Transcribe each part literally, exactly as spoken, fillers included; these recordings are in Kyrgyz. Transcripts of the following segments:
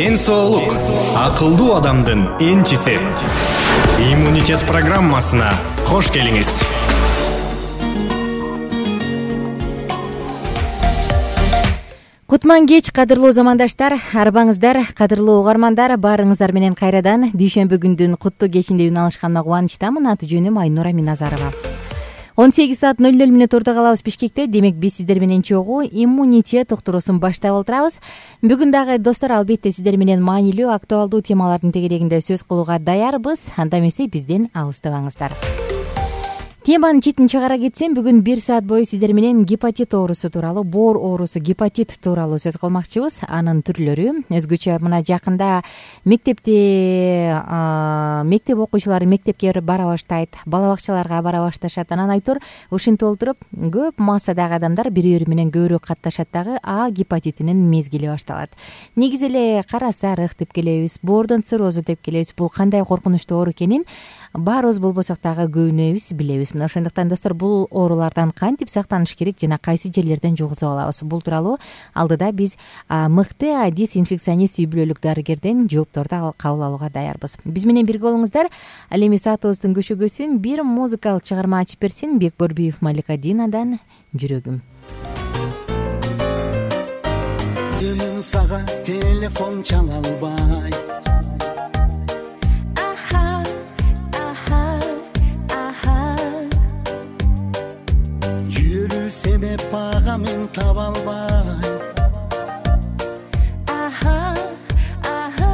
Ден соолук акылдуу адамдын энчиси. Иммунитет программасына кош келиңиз. Кутман кеч, кадырлуу замандаштар, арбаңыздар, кадырлуу угармандар, баарыңыздар менен кайрадан дүйшөмбү күндүн куттуу кечинде үн алышканыма кубанычтамын. Аты жөнүм Айнура Миназарова. он сегиз саат ноль ноль мүнөт орто калабыз Бишкекте. Демек биз сиздер менен чогуу иммунитет уктуруусун баштап отурабыз. Бүгүн дагы достор, албетте сиздер менен маанилүү, актуалдуу темалардын тегерегинде сөз кылууга даярбыз. Анда эмесе бизден алыстабаңыздар. Теманын четин чыгара кетсем, бүгүн бир саат бою сиздер менен гепатит оорусу тууралуу, боор оорусу, гепатит тууралуу сөз кылмакчыбыз. Анын түрлөрү өзгөчө мына жакында мектепте мектеп окуучулары мектепке бара баштайт, бала бакчаларга бара башташат. Анан айтор ушинтип отуруп көп массадагы адамдар бири бири менен көбүрөөк катташат дагы А гепатитинин мезгили башталат. Негизи эле кара сарык деп келебиз, боордон циррозу деп келебиз. Бул кандай коркунучтуу оору экенин баарыбыз болбосок дагы көбүнөбүз билебиз. Мына ошондуктан достор, бул оорулардан кантип сактаныш керек жана кайсы жерлерден жугузуп алабыз? Бул тууралуу алдыда биз мыкты дезинфекционист үй бүлөлүк дарыгерден жоопторду кабыл алууга даярбыз. Биз менен бирге болуңуздар. Ал эми саатыбыздын көшөгөсүн бир музыкалык чыгарма ачып берсин. Бекборбиев, Малика Динадан жүрөгүм. Өзүнүн сага телефон чала албай, себеп бага мен таба албай. Аха, аха,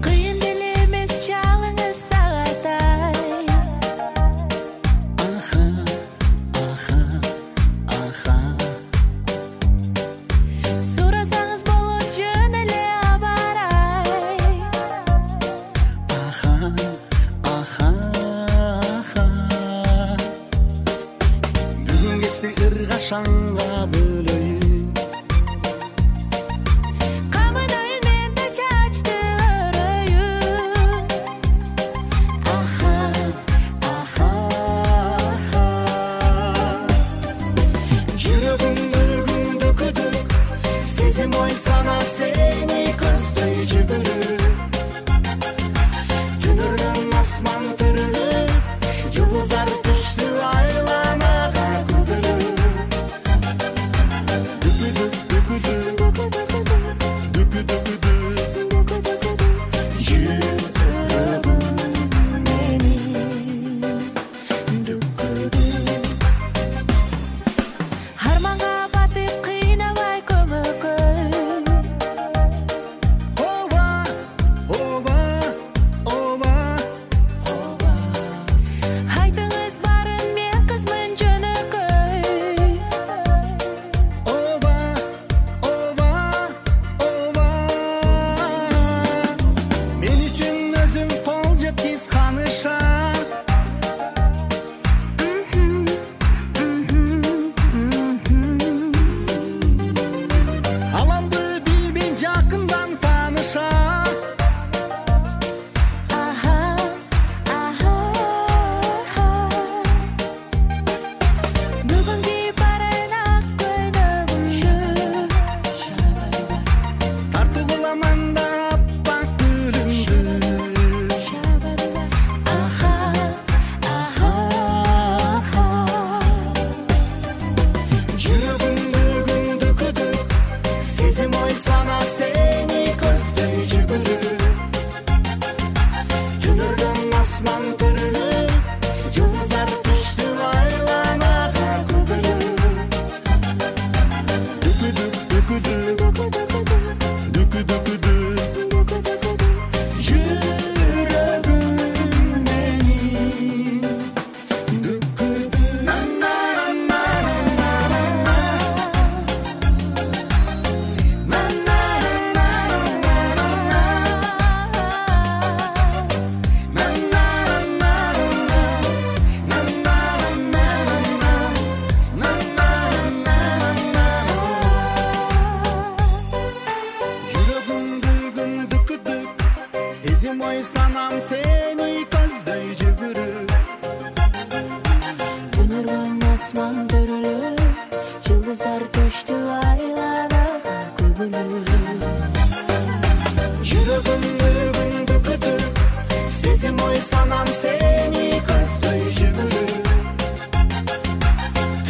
кыйын деле эмес чалыңыз сагатай. Аха, аха, аха, сурасаңыз болот жөн эле абарай. Аха, аха, ыргашаңга бөлөйүн, камынайын мен да чачты өрөйүн. Аха, аха, аха, жүрөгүмдү күндү күдүк, сезим ой сана сени көздөй жүгүрүп. Түнөргөн асман түрүлүп, жылдыздар түштү айланага көбөлүп. ой санам сени көздөй жүгүрүп, түнөргөн асман төрөлүп, жылдыздар төштү айланып. бүгүлүп жүрөгүмдү күндү күтүп сезим ой санам сени көздөй жүгүрүп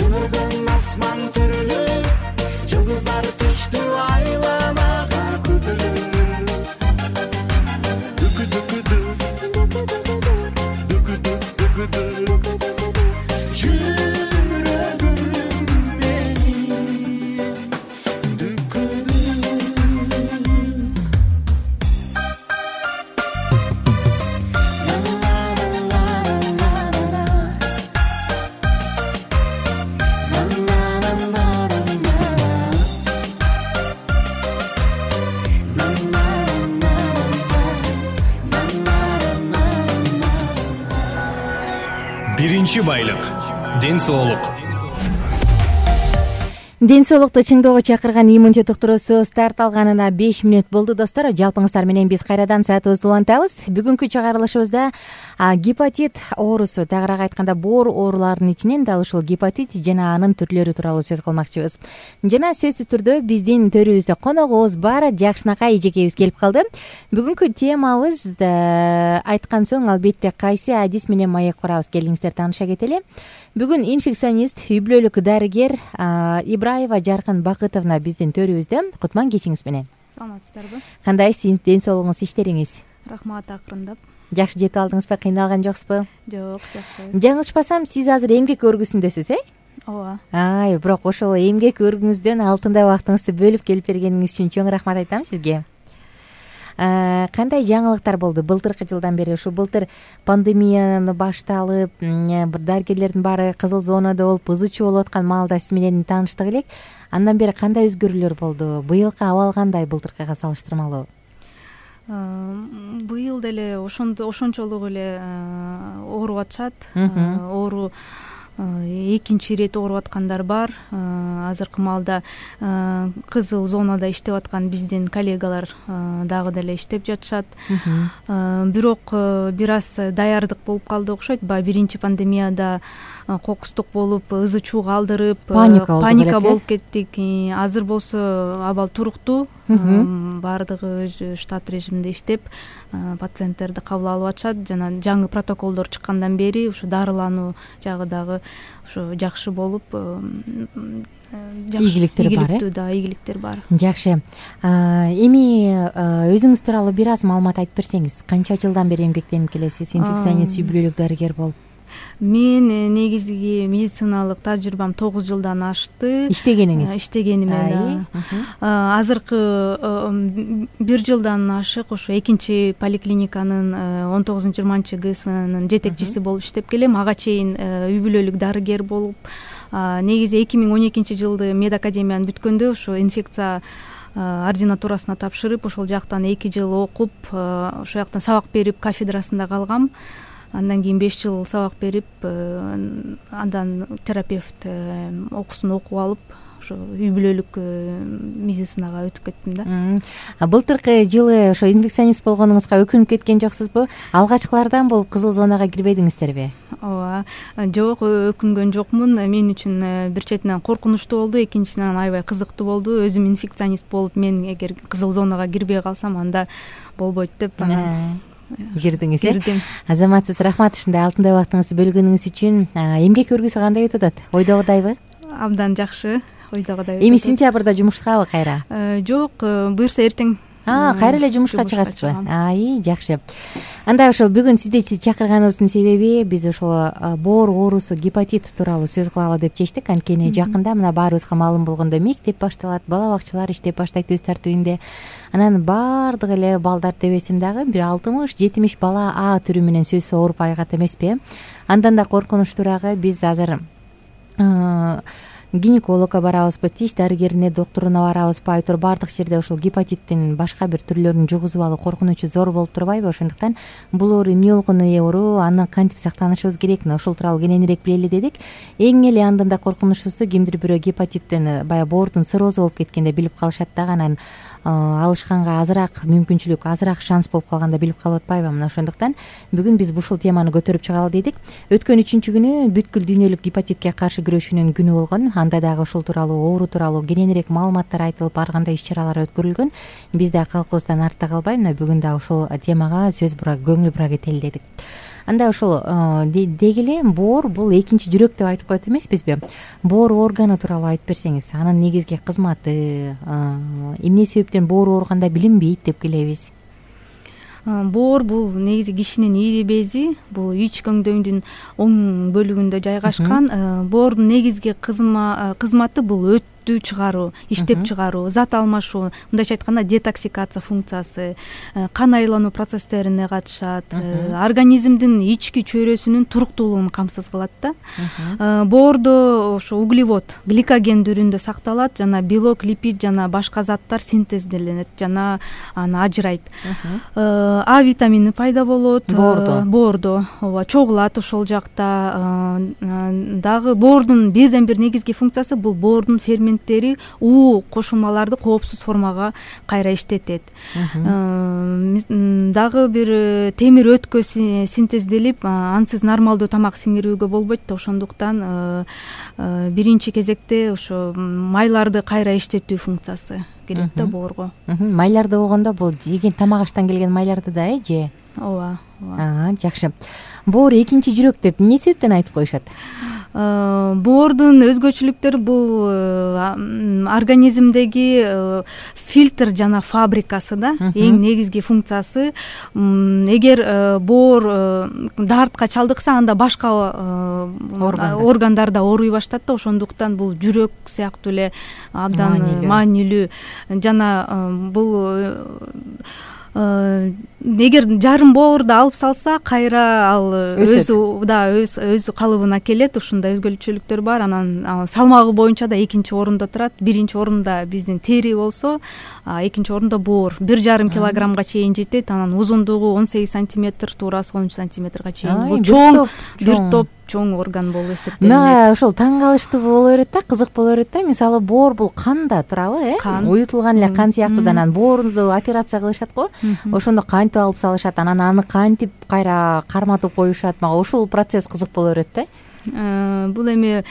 түнөргөн асман түрүлүп жылдыздар түштү айланага күбүлүп дүкү дүкү дүкү дүкү дүкү дүкү жүрөгүм менин дүкү биринчи байлык — ден соолук. ден соолукту чыңдоого чакырган иммунитет уктуруусу старт алганына беш мүнөт болду достор. Жалпыңыздар менен биз кайрадан саатыбызды улантабыз. Бүгүнкү чыгарылышыбызда гепатит оорусу, тагыраак айтканда боор ооруларынын ичинен дал ушул гепатит жана анын түрлөрү тууралуу сөз кылмакчыбыз. Жана сөзсүз түрдө биздин төрүбүздө коногубуз бар Жакшынакай эжекебиз келип калды. Бүгүнкү темабыз айткан соң албетте кайсы адис менен маек курабыз, келиңиздер тааныша кетели. Бүгүн инфекционист, үй бүлөлүк дарыгер Ибраева Жаркын Бакытовна биздин төрүбүздө. Кутман кечиңиз менен. Саламатсыздарбы? Кандай ден соолугуңуз, иштериңиз? Рахмат, акырындап. Жакшы жетип алдыңызбы, кыйналган жоксузбу? Жок, жакшы. Жаңылышпасам, сиз азыр эмгек өргүсүндөсүз, э? Ооба. Ай, бирок ошол эмгек өргүңүздөн алтындай убактыңызды бөлүп келип бергениңиз үчүн чоң рахмат айтам сизге. Кандай жаңылыктар болду былтыркы жылдан бери? Ушу былтыр пандемияны башталып, бир дарыгерлердин баары кызыл зонада болуп, ызы чуу болуп аткан маалда сиз менен тааныштык элек. Андан бери кандай өзгөрүүлөр болду? Быйылкы абал кандай былтыркыга салыштырмалуу? Быйыл деле ошончолук эле ооруп атышат. Оору экинчи ирет ооруп аткандар бар. Азыркы маалда кызыл зонада иштеп аткан биздин коллегалар дагы деле иштеп жатышат. Бирок бир аз даярдык болуп калды окшойт. Баягы биринчи пандемияда кокустук болуп, ызы чуу калтырып, паника болуп кеттик. Азыр болсо абал туруктуу. Баардыгы өз штат режиминде иштеп, пациенттерди кабыл алып атышат. Жана жаңы протоколдор чыккандан бери ушу дарылануу жагы дагы ушу жакшы болуп, ийгиликтер бар, э? Да, ийгиликтер бар. Жакшы. Эми өзүңүз тууралуу бир аз маалымат айтып берсеңиз. Канча жылдан бери эмгектенип келесиз? Инфекционист, үй бүлөлүк дарыгер болуп. Мен негизги медициналык тажрыйбам тогуз жылдан ашты. Иштегениңиз? Иштегениме. Азыркы бир жылдан ашык ушу экинчи поликлиниканын он тогузунчу жыйырманчы ГСВнын жетекчиси болуп иштеп келем. Ага чейин үй бүлөлүк дарыгер болуп, негизи эки миң он экинчи жылды мед академияны бүткөндө ушу инфекция ординатурасына тапшырып, ошол жактан эки жыл окуп, ошол жактан сабак берип кафедрасында калгам. Андан кийин беш жыл сабак берип, андан терапевт окуусун окуп алып, ошо үй бүлөлүк медицинага өтүп кеттим да. Былтыркы жылы ошо инфекционист болгонуңузга өкүнүп кеткен жоксузбу? Алгачкылардан болуп кызыл зонага кирбедиңиздерби? Ооба. Жок, өкүнгөн жокмун. Мен үчүн бир четинен коркунучтуу болду, экинчисинен аябай кызыктуу болду. Өзүм инфекционист болуп, мен эгер кызыл зонага кирбей калсам, анда болбойт деп кирдиңиз, э? Кирдим. Азаматсыз, рахмат ушундай алтындай убактыңызды бөлгөнүңүз үчүн. Эмгек өргүсү кандай өтүп атат? Ойдогудайбы? Абдан жакшы, ойдогудай. Эми сентябрда жумушкабы кайра? Жок, буюрса эртең. Кайра эле жумушка чыгасызбы? Ай, жакшы. Анда ошол бүгүн сизди чакырганыбыздын себеби биз ошол боор оорусу, гепатит тууралуу сөз кылалы деп чечтик. Анткени жакында мына баарыбызга маалым болгондой мектеп башталат, бала бакчалар иштеп баштайт өз тартибинде. Анан баардык эле балдар дебесем дагы бир алтымыш жетимиш бала А түрү менен сөзсүз ооруп айгат эмеспи? Андан да коркунучтуурагы биз азыр гинекологко барабызбы, тиш дарыгерине, доктуруна барабызбы, айтор баардык жерде ушул гепатиттин башка бир түрлөрүн жугузуп алуу коркунучу зор болуп турбайбы? Ошондуктан бул оору эмне болгону оору, андан кантип сактанышыбыз керек, ошол тууралуу кененирээк билели дедик. Эң эле андан да коркунучтуусу, кимдир бирөө гепатиттен, баягы боордун циррозу болуп кеткенде билип калышат дагы, анан алышканга азыраак мүмкүнчүлүк, азыраак шанс болуп калганда билип калып атпайбы? Мына ошондуктан бүгүн биз ушул теманы көтөрүп чыгалы дедик. Өткөн үчүнчү күнү бүткүл дүйнөлүк гепатитке каршы күрөшүүнүн күнү болгон. анда дагы ушул тууралуу оору тууралуу кененирээк маалыматтар айтылып ар кандай иш чаралар өткөрүлгөн. Биз да калкыбыздан артта калбай мына бүгүн да ушул темага сөз бура көңүл бура кетели дедик. Анда ушул деги эле боор бул экинчи жүрөк деп айтып коет эмеспизби? Боор органы тууралуу айтып берсеңиз, анын негизги кызматы, эмне себептен боор ооруганда билинбейт деп келебиз? Боор бул негизи кишинин ийри бези, бул ич көңдөйдүн оң бөлүгүндө жайгашкан. Боордун негизги кызматы бул өттү чыгаруу, иштеп чыгаруу, зат алмашуу, мындайча айтканда детоксикация функциясы, кан айлануу процесстерине катышат, организмдин ички чөйрөсүнүн туруктуулугун камсыз кылат да. Боордо ошо углевод, гликоген түрүндө сакталат, жана белок, липид жана башка заттар синтезделенет жана аны ажырайт. А витамини пайда болот боордо. Боордо ооба чогулат ошол жакта. Дагы боордун бирден бир негизги функциясы бул боордун ферменттери уу кошулмаларды коопсуз формага кайра иштетет. Дагы бир темир өткө синтезделип, ансыз нормалдуу тамак сиңирүүгө болбойт да, ошондуктан биринчи кезекте ошо майларды кайра иштетүү функциясы керек да боорго. Майларды болгондо бул жеген тамак аштан келген майларды да э же? Ооба, ооба. Жакшы. Боор экинчи жүрөк деп эмне себептен айтып коюшат? Боордун өзгөчөлүктөрү бул организмдеги фильтр жана фабрикасы да, эң негизги функциясы. Эгер боор дартка чалдыкса, анда башка органдар да ооруй баштайт да, ошондуктан бул жүрөк сыяктуу эле абдан маанилүү. Жана бул эгер жарым боорду алып салса, кайра ал өзү да өз өз калыбына келет. Ушундай өзгөчөлүктөр бар. Анан салмагы боюнча да экинчи орунда турат. Биринчи орунда биздин тери болсо, экинчи орунда боор. Бир жарым килограммга чейин жетет. Анан узундугу он сегиз сантиметр, туурасы он үч сантиметрге чейин. Бул чоң, бир топ чоң орган болуп эсептелет. Мага ошол таң калыштуу боло берет да, кызык боло берет да. Мисалы, боор бул канда турабы, э? Уютулган эле кан сыяктуу. Анан боорду операция кылышат го. Ошондо кантип алып салышат, анан аны кантип кайра карматып коюшат. Мага ушул процесс кызык боло берет да. Бул эми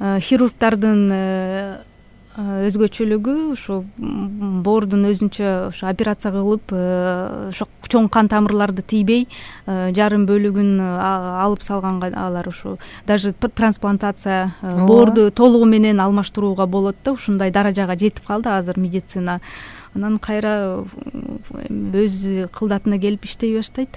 хирургдардын өзгөчөлүгү ошо боордун өзүнчө ошо операция кылып, ошо чоң кан тамырларды тийбей жарым бөлүгүн алып салганга алар ошо даже трансплантация боорду толугу менен алмаштырууга болот да. Ушундай даражага жетип калды азыр медицина. Анан кайра өз кылдатына келип иштей баштайт.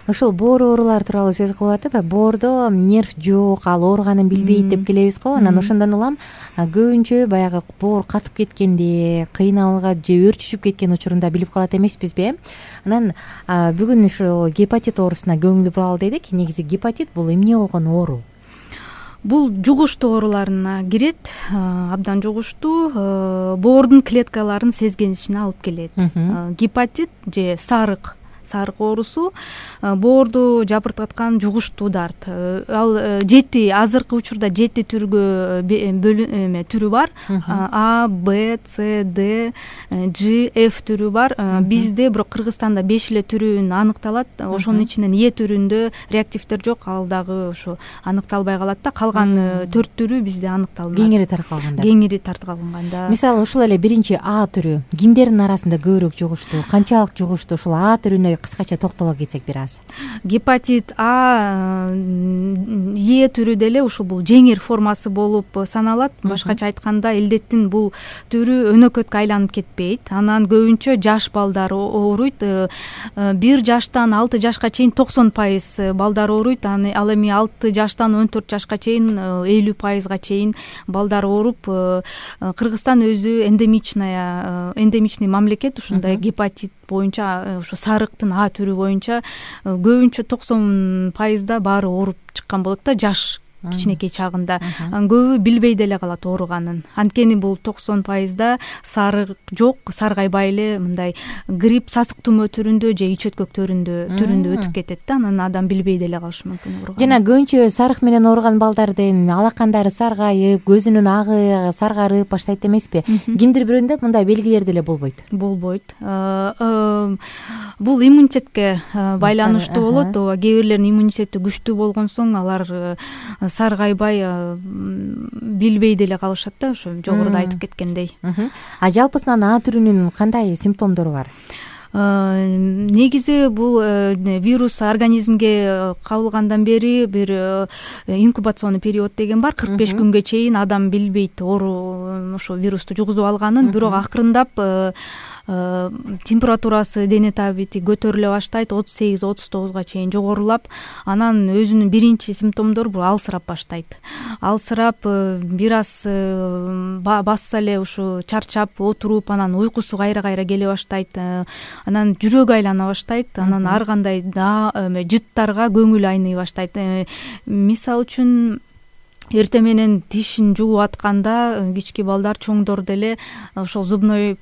Ошол боор оорулары тууралуу сөз кылып атып, боордо нерв жок, ал ооруганын билбейт деп келебиз го. Анан ошондон улам көбүнчө баягы боор катып кеткенде, кыйналга же өрчүшүп кеткен учурунда билип калат эмеспизби? Анан бүгүн ушул гепатит оорусуна көңүл буралы дедик. Негизи гепатит бул эмне болгон оору? Бул жугуштуу ооруларына кирет, абдан жугуштуу, боордун клеткаларын сезгенишине алып келет. Гепатит же сарык сарык оорусу боорду жабыркаткан жугуштуу дарт. Ал жети, азыркы учурда жети түргө түрү бар. А, Б, С, Д, Ж, Ф түрү бар. Бизде бирок Кыргызстанда беш эле түрүн аныкталат. Ошонун ичинен Е түрүндө реактивдер жок, ал дагы ошо аныкталбай калат да. Калган төрт түрү бизде аныкталган. Кеңири таркалганда. Кеңири таркалганда. Мисалы, ушул эле биринчи А түрү кимдердин арасында көбүрөөк жугуштуу? Канчалык жугуштуу? Ушул А түрүнө кыскача токтоло кетсек бир аз. Гепатит А, Е түрү деле ушул бул жеңир формасы болуп саналат. Башкача айтканда, илдеттин бул түрү өнөкөткө айланып кетпейт. Анан көбүнчө жаш балдар ооруйт. бир жаштан алты жашка чейин токсон пайыз балдар ооруйт. Ал эми алты жаштан он төрт жашка чейин элүү пайызга чейин балдар ооруп. Кыргызстан өзү эндемичная эндемичный мамлекет. Ушундай гепатит боюнча, ошо сарыктын А түрү боюнча көбүнчө токсон пайызда баары ооруп чыккан болот да, жаш кичинекей чагында. Көбү билбей деле калат ооруганын. Анткени бул токсон пайызда сарык жок, саргайбай эле мындай грипп, сасык тумоо түрүндө же ич өткөк түрүндө түрүндө өтүп кетет да. Анан адам билбей деле калышы мүмкүн ооруган. Жана көбүнчө сарык менен ооруган балдардын алакандары саргайып, көзүнүн агы саргарып баштайт эмеспи? Кимдир бирөөндө мындай белгилер деле болбойт. Болбойт. Бул иммунитетке байланыштуу болот. Ооба, кээ бирлердин иммунитети күчтүү болгон соң алар саргайбай билбей деле калышат да, ошо жогоруда айтып кеткендей. А жалпысынан А түрүнүн кандай симптомдору бар? Негизи бул вирус организмге кабылгандан бери бир инкубационный период деген бар. кырк беш күнгө чейин адам билбейт оору ошо вирусту жугузуп алганын, бирок акырындап температурасы, дене табити көтөрүлө баштайт, отуз сегиз отуз тогузга чейин жогорулап, анан өзүнүн биринчи симптомдору бул алсырап баштайт. Алсырап бир аз басса эле ушу чарчап отуруп, анан уйкусу кайра-кайра келе баштайт, анан жүрөгү айлана баштайт, анан ар кандай жыттарга көңүл айный баштайт. Мисалы үчүн эртең менен тишин жууп атканда кички балдар, чоңдор деле ошол зубной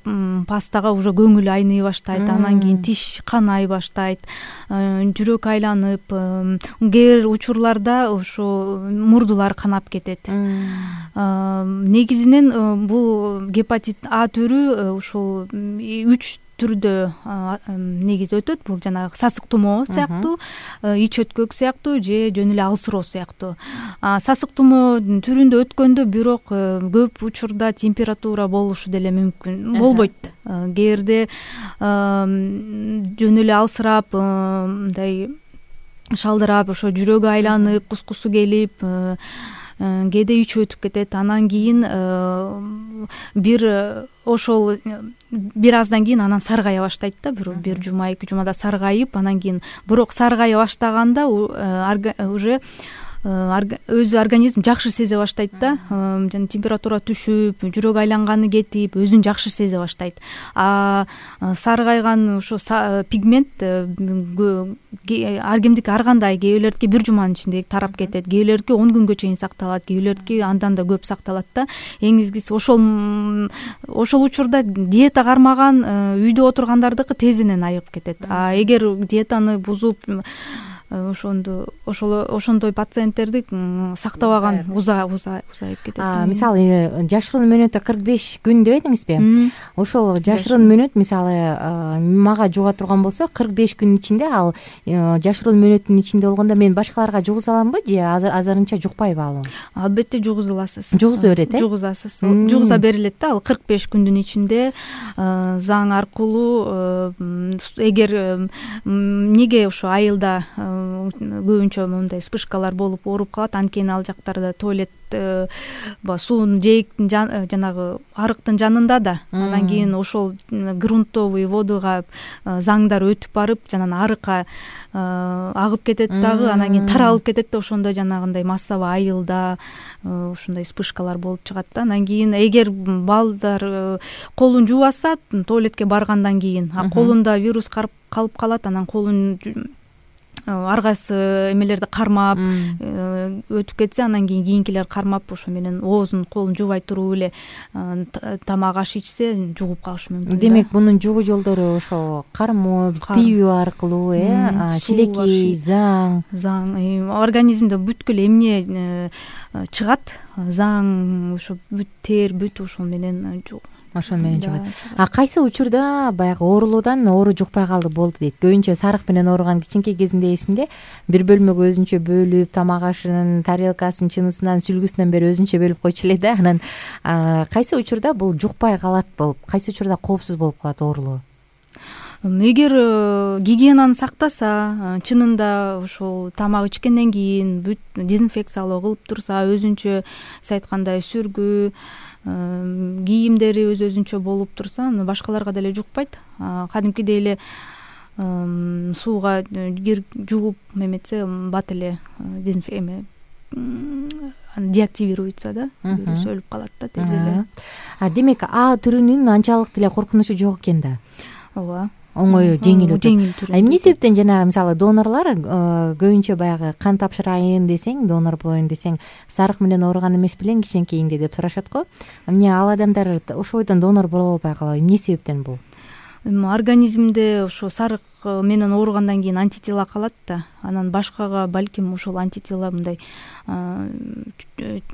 пастага уже көңүл айный баштайт, анан кийин тиш канай баштайт, жүрөк айланып, кээ бир учурларда ошо мурдулар канап кетет. Негизинен бул гепатит А түрү ушул үч түрдө негизи өтөт. Бул жанагы сасык тумоо сыяктуу, ич өткөк сыяктуу же жөн эле алсыроо сыяктуу. Сасык тумоо түрүндө өткөндө бирок көп учурда температура болушу деле мүмкүн болбойт. Кээ бирде жөн эле алсырап, мындай шалдырап, ошо жүрөгү айланып, кускусу келип, кээде ич өтүп кетет. Анан кийин бир ошол бир аздан кийин анан саргая баштайт да, бир бир жума, эки жумада саргайып, анан кийин бирок саргая баштаганда уже өзү организм жакшы сезе баштайт да, жана температура түшүп, жүрөк айланганы кетип, өзүн жакшы сезе баштайт. А саргайган ошо пигмент ар кимдики ар кандай, кээ бирлердики бир жуманын ичинде тарап кетет, кээ бирлердики он күнгө чейин сакталат, кээ бирлердики андан да көп сакталат да. Эң изгиси ошол ошол учурда диета кармаган үйдө отургандардыкы тезинен айыгып кетет. А эгер диетаны бузуп ошондо ошол ошондой пациенттерди сактабаган уза уза узайып кетет. Мисалы жашыруун мөөнөтү кырк беш күн деп эдиңизби? Ошол жашыруун мөөнөт мисалы мага жуга турган болсо кырк беш күнүн ичинде, ал жашыруун мөөнөттүн ичинде болгондо мен башкаларга жугуза аламбы же азырынча жукпайбы ал? Албетте жугуза аласыз. Жугуза берет э? Жугузасыз. Жугуза берилет да, ал кырк беш күндүн ичинде заң аркылуу. Эгер эмнеге ошо айылда көбүнчө мындай вспышкалар болуп ооруп калат, анткени ал жактарда туалет суунун жээк жанагы арыктын жанында да, анан кийин ошол грунтовый водага заңдар өтүп барып, жанагы арыкка агып кетет дагы, анан кийин таралып кетет да, ошондо жанагындай массовый айылда ушундай вспышкалар болуп чыгат да. Анан кийин эгер балдар колун жуубаса, туалетке баргандан кийин колунда вирус калып калат, анан колун ар кайсы эмелерди кармап өтүп кетсе, анан кийин кийинкилер кармап ошо менен оозун колун жуубай туруп эле тамак аш ичсе жугуп калышы мүмкүн. Демек мунун жугуу жолдору ошол кармоо, тийүү аркылуу, э, шилекей, заң, заң организмде бүткүл эмне чыгат, заң, ошо бүт тер, бүт ошол менен ошон менен жугат. А кайсы учурда баягы оорулуудан оору жукпай калды болду дейт? Көбүнчө сарык менен ооруган кичинекей кезинде эсимде, бир бөлмөгө өзүнчө бөлүп, тамак ашынын тарелкасын, чынысынан, сүлгүсүнөн бери өзүнчө бөлүп койчу эле да. Анан кайсы учурда бул жукпай калат болуп, кайсы учурда коопсуз болуп калат оорулуу? Эгер гигиенаны сактаса, чынында ошол тамак ичкенден кийин бүт дезинфекциялоо кылып турса, өзүнчө сиз айткандай сүргү, кийимдери өз өзүнчө болуп турса, башкаларга деле жукпайт. Кадимкидей эле сууга жууп эметсе, бат эле деактивируется да, вирус өлүп калат да тез эле. Демек А түрүнүн анчалык деле коркунучу жок экен да. Ооба. Оңой, жеңил өтөт. Эмне себептен жанагы мисалы донорлор көбүнчө баягы кан тапшырайын десең, донор болоюн десең, сарык менен ооруган эмес белең кичинекейинде деп сурашат го. Эмне ал адамдар ошол бойдон донор боло албай калат? Эмне себептен бул? Организмде ошо сарык менен ооругандан кийин антитела калат да. Анан башкага балким ошол антитела мындай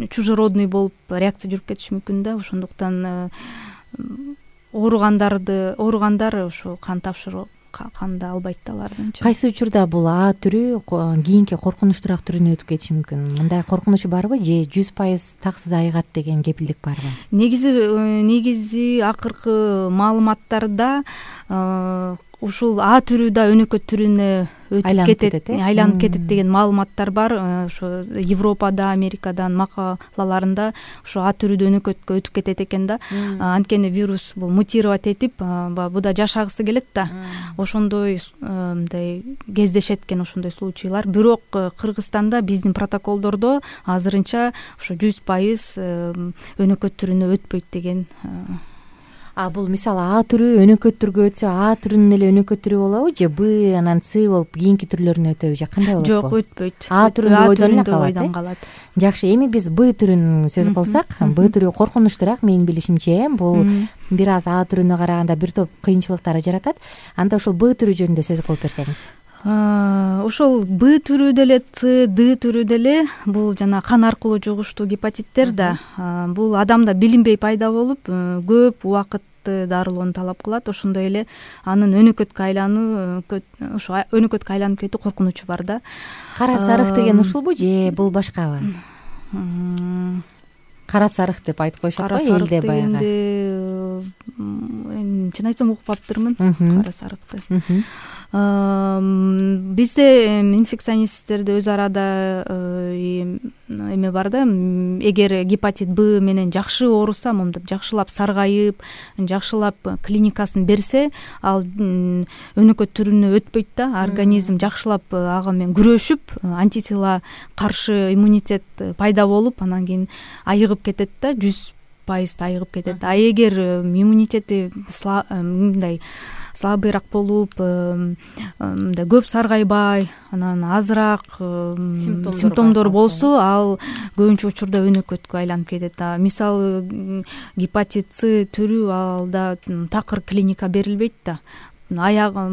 чужеродный болуп реакция жүрүп кетиши мүмкүн да. Ошондуктан ооругандарды ооругандар ошо кан тапшыруу канды албайт да алардынчы. Кайсы учурда бул А түрү кийинки коркунучтуураак түрүнө өтүп кетиши мүмкүн? Мындай коркунучу барбы же жүз пайыз таксыз айыгат деген кепилдик барбы? Негизи негизи акыркы маалыматтарда ушул А түрү да өнөкөт түрүнө өтүп кетет, айланып кетет деген маалыматтар бар. Ошо Европада, Америкадан макалаларында ошо А түрү да өнөкөткө өтүп кетет экен да. Анткени вирус бул мутировать этип, баягы да жашагысы келет да. Ошондой мындай кездешет экен ошондой случайлар. Бирок Кыргызстанда биздин протоколдордо азырынча ошо жүз пайыз өнөкөт түрүнө өтпөйт деген. А бул мисалы А түрү өнөкөт түргө өтсө А түрүнүн эле өнөкөт түрү болобу же Б анан С болуп кийинки түрлөрүнө өтөбү же кандай болот? Жок, өтпөйт. А түрүндө ойдон калат. Жакшы, эми биз Б түрүн сөз кылсак, Б түрү коркунучтуураак менин билишимче. Бул бир аз А түрүнө караганда бир топ кыйынчылыктар жаратат. Анда ушул Б түрү жөнүндө сөз кылып берсеңиз. Ошол Б түрү деле, С, Д түрү деле бул жана кан аркылуу жугуштуу гепатиттер да. Бул адамда билинбей пайда болуп, көп убакыт дарылоону талап кылат. Ошондой эле анын өнөкөткө айлануу, ошо өнөкөткө айланып кетүү коркунучу бар да. Кара сарык деген ушулбу же бул башкабы? Кара сарык деп айтып коюшат го элде баягы. Чын айтсам укпаптырмын кара сарыкты. Бизде инфекционисттерде өз арада эме бар да, эгер гепатит Б менен жакшы ооруса, мондоп жакшылап саргайып, жакшылап клиникасын берсе, ал өнөкөт түрүнө өтпөйт да. Организм жакшылап ага менен күрөшүп, антитела каршы иммунитет пайда болуп, анан кийин айыгып кетет да, жүз пайыз айыгып кетет. А эгер иммунитети мындай слабыйраак болуп, мындай көп саргайбай, анан азыраак симптомдор болсо, ал көбүнчө учурда өнөкөткө айланып кетет. Мисалы гепатит С түрү, алда такыр клиника берилбейт да. Аягы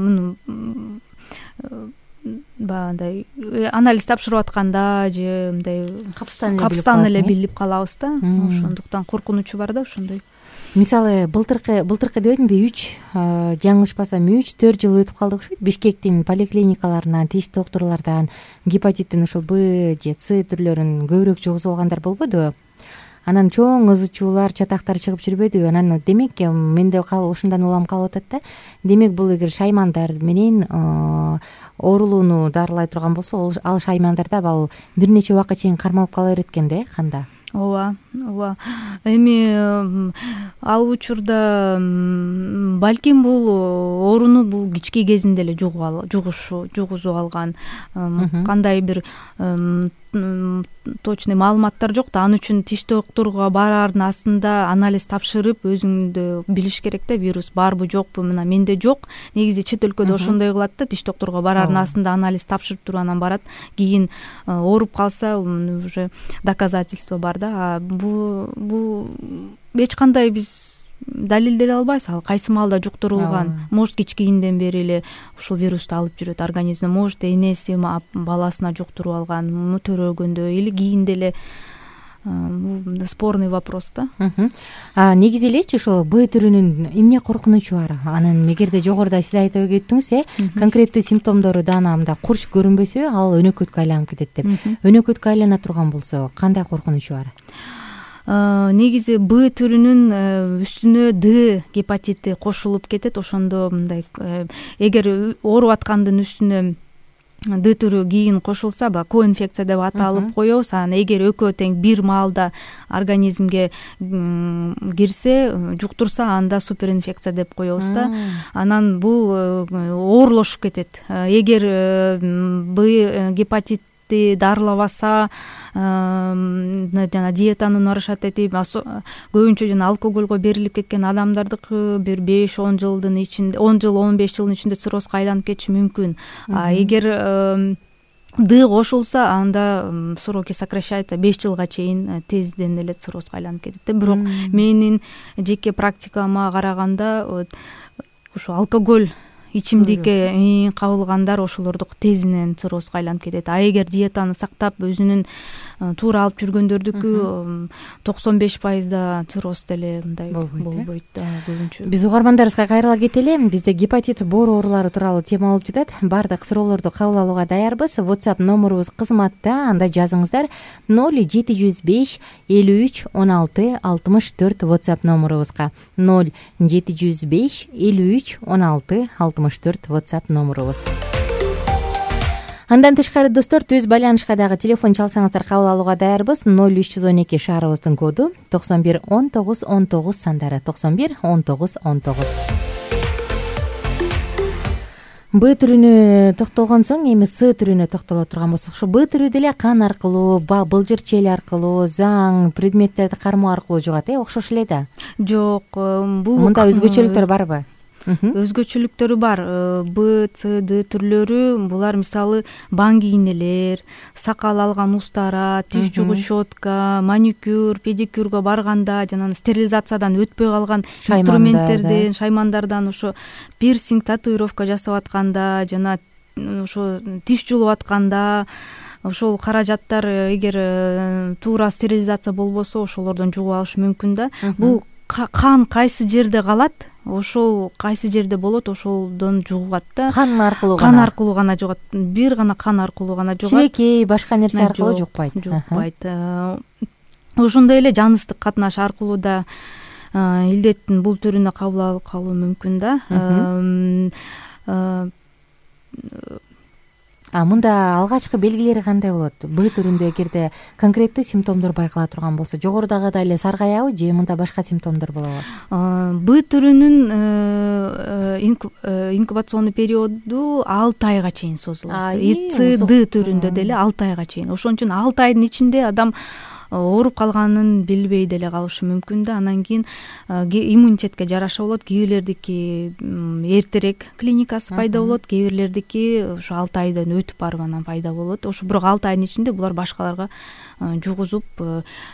баягындай анализ тапшырып атканда же мындай капстан эле билип калабыз да. Ошондуктан коркунучу бар да ошондой. Мисалы былтыркы былтыркы дебедимби, үч жаңылышпасам үч төрт жыл өтүп калды окшойт. Бишкектин поликлиникаларынан, тиш доктурлардан гепатиттин ушул Б же С түрлөрүн көбүрөөк жугузуп алгандар болбодубу? Анан чоң ызы чуулар, чатактар чыгып жүрбөдүбү? Анан демек менде ушундан улам калып атат да. Демек бул эгер шаймандар менен оорулууну дарылай турган болсо, ал шаймандарда ал бир нече убакка чейин кармалып кала берет экен да, канда. Ооба, ооба. Эми ал учурда балким бул ооруну бул кички кезинде эле жугушу, жугузуп алган. Кандай бир точный маалыматтар жок да. Ал үчүн тиш докторуга бараардын астында анализ тапшырып, өзүңдү билиш керек да, вирус барбы жокпу. Мына менде жок. Негизи чет өлкөдө ошондой кылат да, тиш докторуга бараардын астында анализ тапшырып туруп анан барат. Кийин ооруп калса, уже доказательство бар да. Бул бул эч кандай биз далилдей албайбыз. Ал кайсы маалда жуктурулган. Может кичкийинден бери эле ушул вирусту алып жүрөт организмде. Может энеси баласына жуктуруп алган, төрөгөндө или кийинде эле. Бул спорный вопрос да. Негизи элечи ушул Б түрүнүн эмне коркунучу бар? Анан эгерде жогоруда сиз айтып кеттиңиз, э, конкреттүү симптомдору даана мында курч көрүнбөсө, ал өнөкөткө айланып кетет деп. Өнөкөткө айлана турган болсо, кандай коркунучу бар? Негизи Б түрүнүн үстүнө Д гепатити кошулуп кетет. Ошондо мындай эгер ооруп аткандын үстүнө Д түрү кийин кошулса, ба коинфекция деп аталып коебуз. Анан эгер экөө тең бир маалда организмге кирсе, жуктурса, анда суперинфекция деп коебуз да. Анан бул оорлошуп кетет. Эгер Б гепатит дарылабаса, жана диетаны нарушать этип, көбүнчө жана алкогольго берилип кеткен адамдардыкы бир беш он жылдын ичинде, он жыл он беш жылдын ичинде циррозго айланып кетиши мүмкүн. А эгер Д кошулса, анда сроки сокращается, беш жылга чейин тезден эле циррозго айланып кетет. Бирок менин жеке практикама караганда, ушу алкоголь ичимдикке кабылгандар ошолордук тезинен циррозго айланып кетет. А эгер диетаны сактап өзүнүн туура алып жүргөндөрдүкү токсон беш пайызда цирроз деле мындай болбойт да көбүнчө. Биз угармандарыбызга кайрыла кетели. Бизде гепатит боор оорулары тууралуу тема болуп жатат. Баардык суроолорду кабыл алууга даярбыз. WhatsApp номурубуз кызматта, анда жазыңыздар. ноль жети жүз беш элүү үч он алты алтымыш төрт WhatsApp номурубузга. ноль жети жүз беш элүү үч он алты алтымыш төрт WhatsApp номурубуз. Андан тышкары достор, түз байланышка дагы телефон чалсаңыздар кабыл алууга даярбыз. ноль үч жүз он эки шаарыбыздын коду, токсон бир он тогуз он тогуз сандары, токсон бир он тогуз он тогуз. Б түрүнө токтолгон соң эми С түрүнө токтоло турган болсок, ушу Б түрү деле кан аркылуу, былжыр чел аркылуу, заң, предметтерди кармоо аркылуу жугат, э, окшош эле да. Жок, бул мында өзгөчөлүктөр барбы? Өзгөчөлүктөрү бар. Б, С, Д түрлөрү булар мисалы баңги ийнелер, сакал алган устара, тиш жугуч щетка, маникюр, педикюрга барганда жана стерилизациядан өтпөй калган инструменттерден, шаймандардан, ошо пирсинг, татуировка жасап атканда жана ошо тиш жулуп атканда ошол каражаттар эгер туура стерилизация болбосо ошолордон жугуп алышы мүмкүн да. Бул кан кайсы жерде калат, ошол кайсы жерде болот, ошолдон жугат да. Кан аркылуу гана. Кан аркылуу гана жугат. Бир гана кан аркылуу гана жугат. Чилекей, башка нерсе аркылуу жукпайт. Жукпайт. Ошондой эле жаныстык катнаш аркылуу да илдеттин бул түрүнө кабыл алып калуу мүмкүн да. А мында алгачкы белгилери кандай болот? Б түрүндө эгерде конкреттүү симптомдор байкала турган болсо, жогорудагыдай эле саргаябы же мында башка симптомдор болобу? Б түрүнүн инкубационный периоду алты айга чейин созулат. И С, Д түрүндө деле алты айга чейин. Ошон үчүн алты айдын ичинде адам ооруп калганын билбей деле калышы мүмкүн да. Анан кийин иммунитетке жараша болот. Кээ бирлердики эртерээк клиникасы пайда болот, кээ бирлердики ошо алты айдан өтүп барып анан пайда болот. Ошо бирок алты айдын ичинде булар башкаларга жугузуп,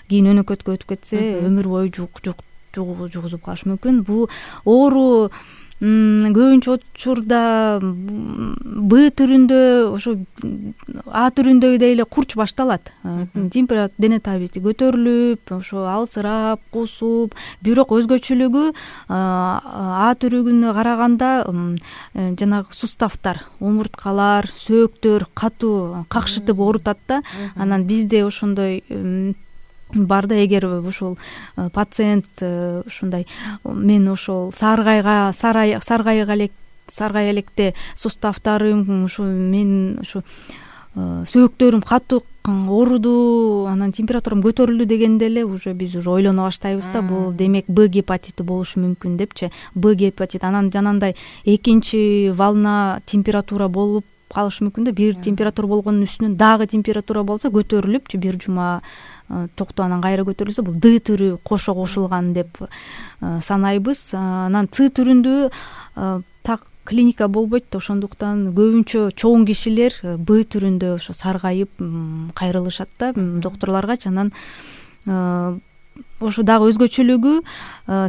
кийин өнөкөткө өтүп кетсе өмүр бою жугузуп калышы мүмкүн. Бул оору көбүнчө учурда Б түрүндө, ошо А түрүндөгүдөй эле курч башталат. Температура, дене табити көтөрүлүп, ошо алсырап, кусуп, бирок өзгөчөлүгү А түрүнө караганда жанагы суставтар, омурткалар, сөөктөр катуу какшытып оорутат да. Анан бизде ошондой бар да. Эгер ушул пациент ушундай мен ошол саргайга саргайга элек саргай электе суставтарым ушу мен ушу сөөктөрүм катуу ооруду, анан температурам көтөрүлдү дегенде эле уже биз уже ойлоно баштайбыз да. Бул демек Б гепатити болушу мүмкүн депчи. Б гепатит анан жанагындай экинчи волна температура болуп калышы мүмкүн да. Бир температура болгондун үстүнөн дагы температура болсо көтөрүлүпчү бир жума токтоп анан кайра көтөрүлсө, бул Д түрү кошо кошулган деп санайбыз. Анан С түрүндө так клиника болбойт да. Ошондуктан көбүнчө чоң кишилер Б түрүндө ошо саргайып кайрылышат да докторлоргачы. Анан ошо дагы өзгөчөлүгү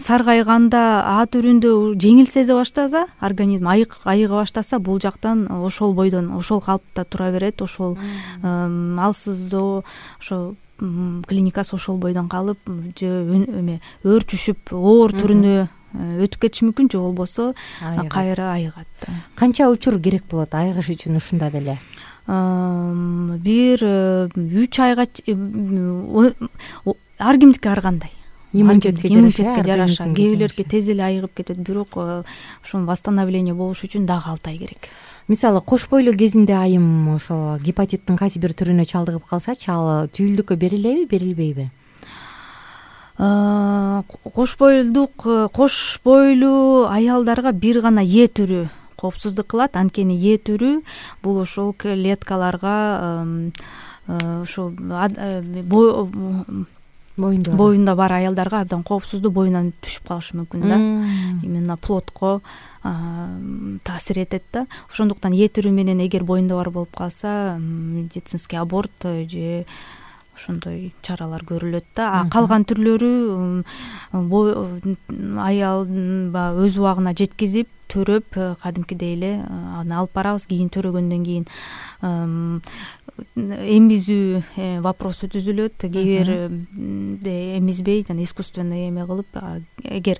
саргайганда А түрүндө жеңил сезе баштаса, организм айык айыга баштаса, бул жактан ошол бойдон ошол калпта тура берет. Ошол алсыздоо, ошо клиникасы ошол бойдон калып же эме өөрчүшүп оор түрүнө өтүп кетиши мүмкүн, же болбосо кайра айыгат. Канча учур керек болот айыгыш үчүн ушунда деле? Бир үч айга, ар кимдики ар кандай. Иммунитетке жараша. Кээ бирлерге тез эле айыгып кетет, бирок ошон восстановление болуш үчүн дагы алты ай керек. Мисалы кош бойлуу кезинде айым ошол гепатиттин кайсы бир түрүнө чалдыгып калсачы, ал түйүлдүккө берилеби, берилбейби? Кош бойлдук кош бойлуу аялдарга бир гана Е түрү коопсуздук кылат. Анткени Е түрү бул ошол клеткаларга ошо боюнда бар аялдарга абдан коопсуздуу, боюнан түшүп калышы мүмкүн да. Именно плодко таасир этет да. Ошондуктан Е түрү менен эгер боюнда бар болуп калса, медицинский аборт же ошондой чаралар көрүлөт да. А калган түрлөрү аял баягы өз убагына жеткизип төрөп кадимкидей эле аны алып барабыз. Кийин төрөгөндөн кийин эмизүү вопросу түзүлөт. Кээ бирде эмизбей жана искусственный эме кылып, эгер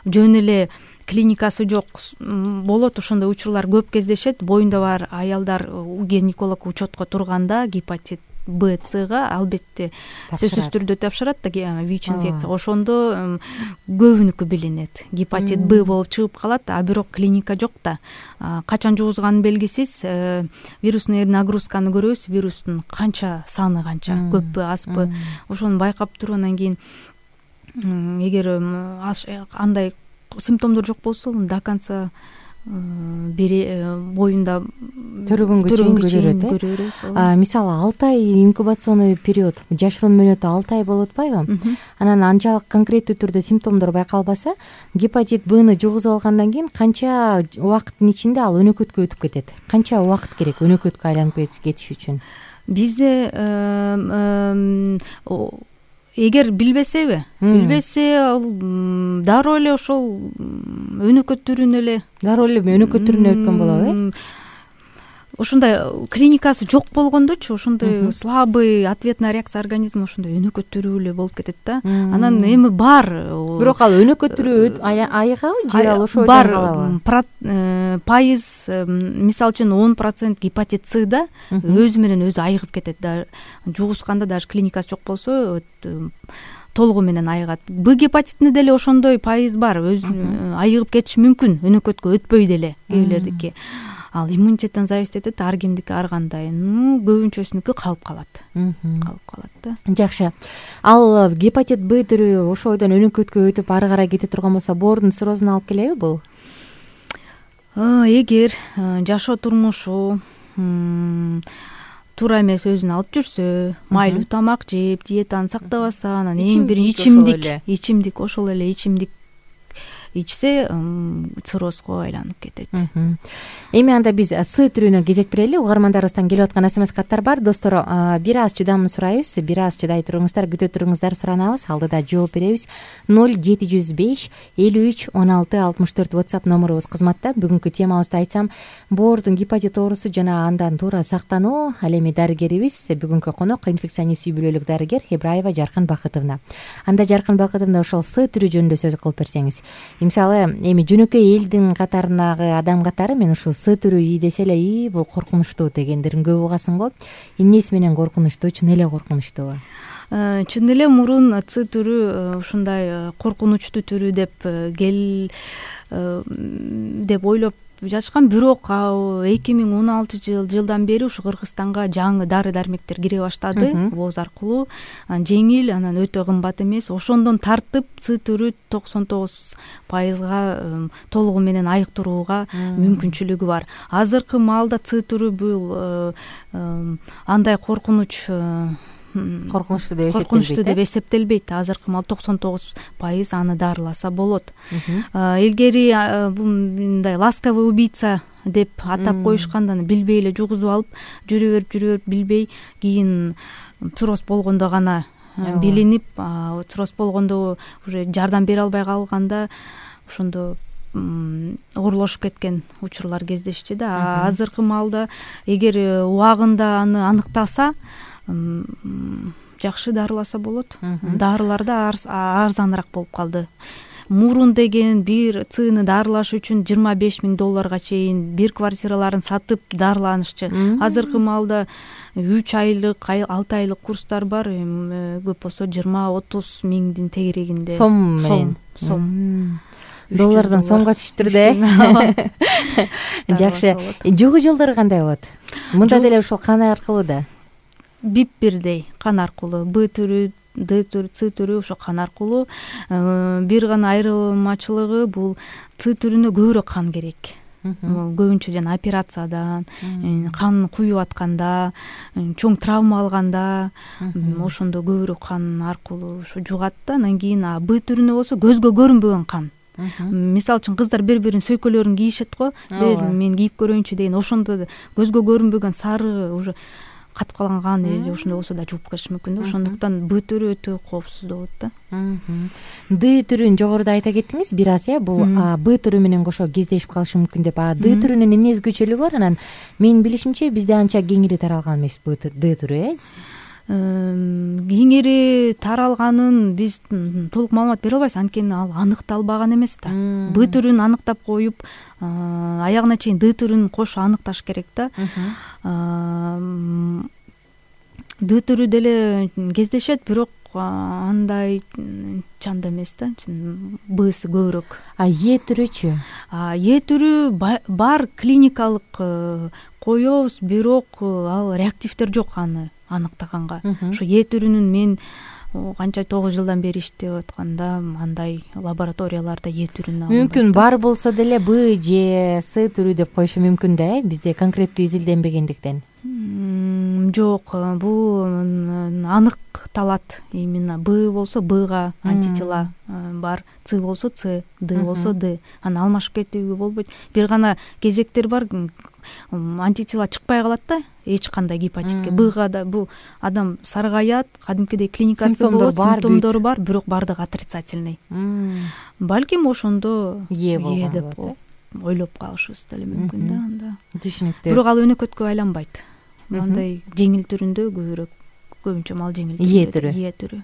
жөн эле клиникасы жок болот, ошондой учурлар көп кездешет. Боюнда бар аялдар гинеколог учетко турганда гепатит Б, Цга албетте сөзсүз түрдө тапшырат да ВИЧ инфекция. Ошондо көбүнүкү билинет. Гепатит Б болуп чыгып калат, а бирок клиника жок да. Качан жугузганы белгисиз. Вирусный нагрузканы көрөбүз, вирустун канча саны канча, көппү, азбы, ошону байкап туруп анан кийин эгер андай симптомдор жок болсо до конца боюнда төрөгөнгө чейин көрө беребиз. Мисалы алты ай инкубационный период, жашыруун мөөнөтү алты ай болуп атпайбы? Анан анчалык конкреттүү түрдө симптомдор байкалбаса, гепатит Бны жугузуп алгандан кийин канча убакыттын ичинде ал өнөкөткө өтүп кетет? Канча убакыт керек өнөкөткө айланып кетиш үчүн? Бизде эгер билбесеби, билбесе ал дароо эле ошол өнөкөт түрүнө эле дароо эле өнөкөт түрүнө өткөн болобу, э? Ошондой клиникасы жок болгондочу, ошондой слабый ответная реакция организма ошондой өнөкөт түрү эле болуп кетет да. Анан эми бар. Бирок ал өнөкөт түрү айыгабы же ал ошол жерде калабы? Пайыз, мисалы үчүн он процент гепатит Цда өзү менен өзү айыгып кетет да. Жугузганда даже клиникасы жок болсо толугу менен айыгат. Б гепатитинде деле ошондой пайыз бар. Өзү айыгып кетиши мүмкүн, өнөкөткө өтпөй деле кээ бирлердики. Ал иммунитеттен зависит этет, ар кимдики ар кандай. Ну, көбүнчөсүнүкү калып калат. Калып калат да. Жакшы. Ал гепатит Б түрү ошойдон өнөкөткө өтүп ары карай кете турган болсо, боордун циррозуна алып келеби бул? Эгер жашоо турмушу туура эмес өзүн алып жүрсө, майлуу тамак жеп, диетаны сактабаса, анан эң бир ичимдик, ичимдик ошол эле ичимдик ичсе, циррозго айланып кетет. Эми анда биз С түрүнө кезек берели. Угармандарыбыздан келип аткан смс каттар бар. Достор, бир аз чыдам сурайбыз, бир аз чыдай туруңуздар, күтө туруңуздар, суранабыз, алдыда жооп беребиз. ноль жети жүз беш элүү үч он алты алтымыш төрт WhatsApp номурубуз кызматта. Бүгүнкү темабызды айтсам, боордун гепатит оорусу жана андан туура сактануу. Ал эми дарыгерибиз, бүгүнкү конок инфекционист үй бүлөлүк дарыгер Эбраева Жаркын Бакытовна. Анда Жаркын Бакытовна ошол С түрү жөнүндө сөз кылып берсеңиз. Мисалы, эми жөнөкөй элдин катарындагы адам катары мен ушул С түрү ий десе эле, ий бул коркунучтуу дегендерин көп угасың го. Эмнеси менен коркунучтуу? Чын эле коркунучтуу? Чын эле мурун С түрү ушундай коркунучтуу түрү деп кел деп ойлоп жатышкан, бирок эки миң он алтынчы жылдан бери ушу Кыргызстанга жаңы дары дармектер кире баштады. Бооз аркылуу жеңил, анан өтө кымбат эмес. Ошондон тартып С түрү токсон тогуз пайызга толугу менен айыктырууга мүмкүнчүлүгү бар. Азыркы маалда С түрү бул андай коркунуч коркунучтуу деп коркунучтуу деп эсептелбейт. Азыркы маал токсон тогуз пайыз аны дарыласа болот. Илгери мындай ласковый убийца деп атап коюшканда, билбей эле жугузуп алып жүрө берип жүрө берип билбей, кийин цирроз болгондо гана билинип, цирроз болгондо уже жардам бере албай калганда ошондо оорлошуп кеткен учурлар кездешчү да. Азыркы маалда эгер убагында аны аныктаса, жакшы дарыласа болот. Дарылар да арзаныраак болуп калды. Мурун деген бир Цны дарылаш үчүн жыйырма беш миң долларга чейин бир квартираларын сатып дарыланышчы. Азыркы маалда үч айлык, алты айлык курстар бар, көп болсо жыйырма отуз миңдин тегерегинде. Сом менен. Сом. Доллардан сомго түштүр да. Жакшы. Жугуу жолдору кандай болот? Мында деле ушул кан аркылуу да. Бип бирдей кан аркылуу, Б түрү, Д түрү, С түрү ошо кан аркылуу. Бир гана айырмачылыгы бул С түрүнө көбүрөөк кан керек. Көбүнчө жана операциядан, кан куюп атканда, чоң травма алганда, ошондо көбүрөөк кан аркылуу ошо жугат да. Анан кийин Б түрүнө болсо көзгө көрүнбөгөн кан. Мисалы үчүн кыздар бири-биринин сөйкөлөрүн кийишет го, мен кийип көрөйүнчү деген, ошондо көзгө көрүнбөгөн сары уже катып калган кан эле ошондой болсо да жууп кетиши мүмкүн да. Ошондуктан Б түрү өтө коопсуз болот да. Д түрүн жогоруда айта кеттиңиз бир аз, э бул Б түрү менен кошо кездешип калышы мүмкүн деп. А Д түрүнүн эмне өзгөчөлүгү бар? Анан менин билишимче бизде анча кеңири таралган эмес Д түрү, э кеңири таралганын биз толук маалымат бере албайбыз, анткени ал аныкталбаган эмес да. Б түрүн аныктап коюп аягына чейин Д түрүн кошо аныкташ керек да. Д түрү деле кездешет, бирок андай чанда эмес да, Бсы көбүрөөк. А Е түрүчү? Е түрү бар, клиникалык коебуз, бирок ал реактивдер жок аны аныктаганга. Ошо Е түрүнүн мен канча тогуз жылдан бери иштеп атканда андай лабораторияларда Е түрүн алынбайт. Мүмкүн бар болсо деле Б же С түрү деп коюшу мүмкүн да, э бизде конкреттүү изилденбегендиктен. Жок, бул аныкталат. Именно Б болсо Бга антитела бар, С болсо С, Д болсо Д. Аны алмашып кетүүгө болбойт. Бир гана кезектер бар, антитела чыкпай калат да эч кандай гепатитке. Бга да бул адам саргаят, кадимкидей клиникасы болот, симптомдору бар, бирок бардыгы отрицательный. Балким ошондо Е деп ойлоп калышыбыз деле мүмкүн да анда. Түшүнүктүү. Бирок ал өнөкөткө айланбайт. Андай жеңил түрүндө көбүрөөк, көбүнчө мал жеңил Е түрү. Е түрү.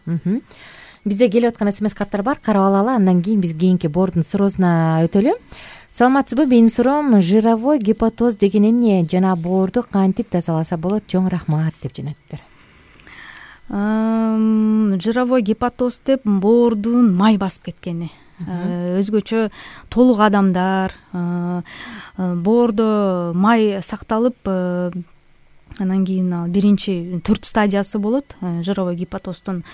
Бизде келип аткан смс каттар бар, карап алалы, андан кийин биз кийинки боордун суроосуна өтөлү. Саламатсызбы, менин суроом жировой гепатоз деген эмне жана боорду кантип тазаласа болот? Чоң рахмат деп жөнөттүр. Жировой гепатоз деп боордун май басып кеткени. Өзгөчө толук адамдар боордо май сакталып, анан кийин ал биринчи төрт стадиясы болот. Жировой гепатоздун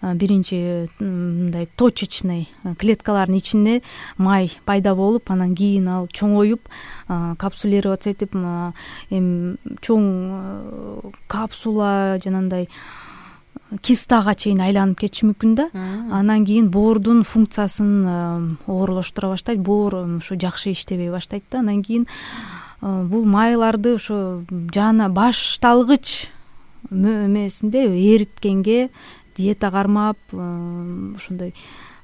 биринчи мындай точечный клеткалардын ичинде май пайда болуп, анан кийин ал чоңоюп, капсулироваться этип, эми чоң капсула жанагындай кистага чейин айланып кетиши мүмкүн да. Анан кийин боордун функциясын оорлоштура баштайт, боор ошо жакшы иштебей баштайт да. Андан кийин бул майларды ошо жана башталгыч эмесинде эриткенге диета кармап, ошондой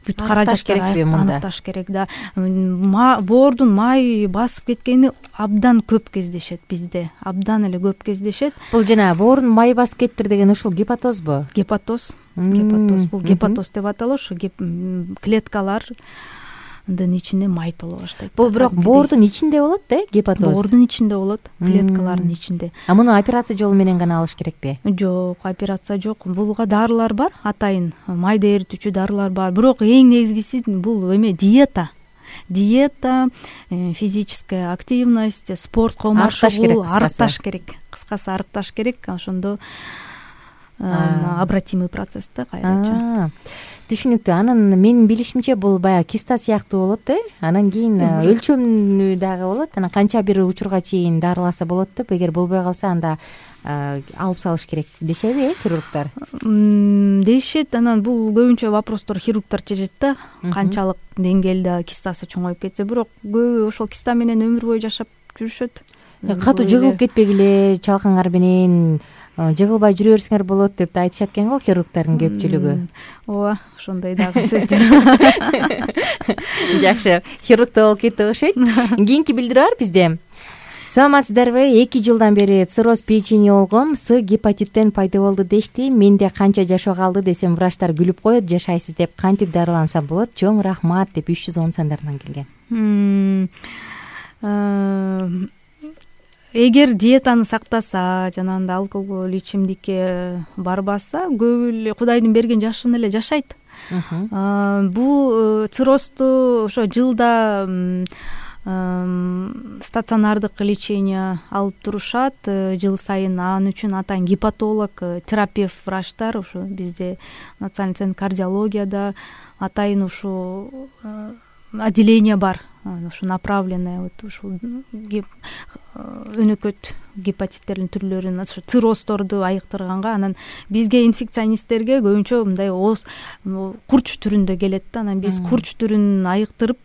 бүт каражаттар аныкташ керек да. Боордун май басып кеткени абдан көп кездешет бизде, абдан эле көп кездешет. Бул жана боордун май басып кеттир деген ушул гепатозбу? Гепатоз. Гепатоз бул гепатоз деп аталат. Ошо клеткалар дын ичинде май толо баштайт. Бул бирок боордун ичинде болот да, гепатоз? Боордун ичинде болот, клеткалардын ичинде. А муну операция жолу менен гана алыш керекпи? Жок, операция жок. Булга дарылар бар, атайын майды эритүүчү дарылар бар. Бирок эң негизгиси бул эме диета. Диета, физическая активность, спортко машыгуу, арыкташ керек. Кыскасы арыкташ керек. Ошондо обратимый процесс да, кайрача. Түшүнүктүү. Анын менин билишимче бул баягы киста сыяктуу болот да. Анан кийин өлчөмү дагы болот. Анан канча бир учурга чейин дарыласа болот деп, эгер болбой калса анда алып салыш керек дешеби, э, хирургдар? Дешет. Анан бул көбүнчө вопростор хирургдар чечет да, канчалык деңгээлде кистасы чоңоюп кетсе. Бирок көбү ошол киста менен өмүр бою жашап жүрүшөт. Катуу жыгылып кетпегиле, чалкаңар менен жыгылбай жүрө берсеңер болот деп да айтышат экен го хирургдардын көпчүлүгү. Ооба, ошондой дагы сөздөр. Жакшы, хирургда болуп кетти окшойт. Кийинки билдирүү бар бизде. Саламатсыздарбы? эки жылдан бери цирроз печени болгом, С гепатиттен пайда болду дешти. Менде канча жашоо калды десем, врачтар күлүп коет, жашайсыз деп. Кантип дарылансам болот? Чоң рахмат деп үч жүз он сандарынан келген. Эгер диетаны сактаса, жанагындай алкоголь, ичимдикке барбаса, көп эле Кудайдын берген жашын эле жашайт. Бул циррозду ошо жылда стационардык лечение алып турушат. Жыл сайын анын үчүн атайын гепатолог, терапевт врачтар ошо бизде Национальный центр кардиологияда атайын ушу отделение бар. Ошо направленное вот ушул өнөкөт гепатиттердин түрлөрүн, ошо цирроздорду айыктырганга. Анан бизге инфекционисттерге көбүнчө мындай ооз курч түрүндө келет да. Анан биз курч түрүн айыктырып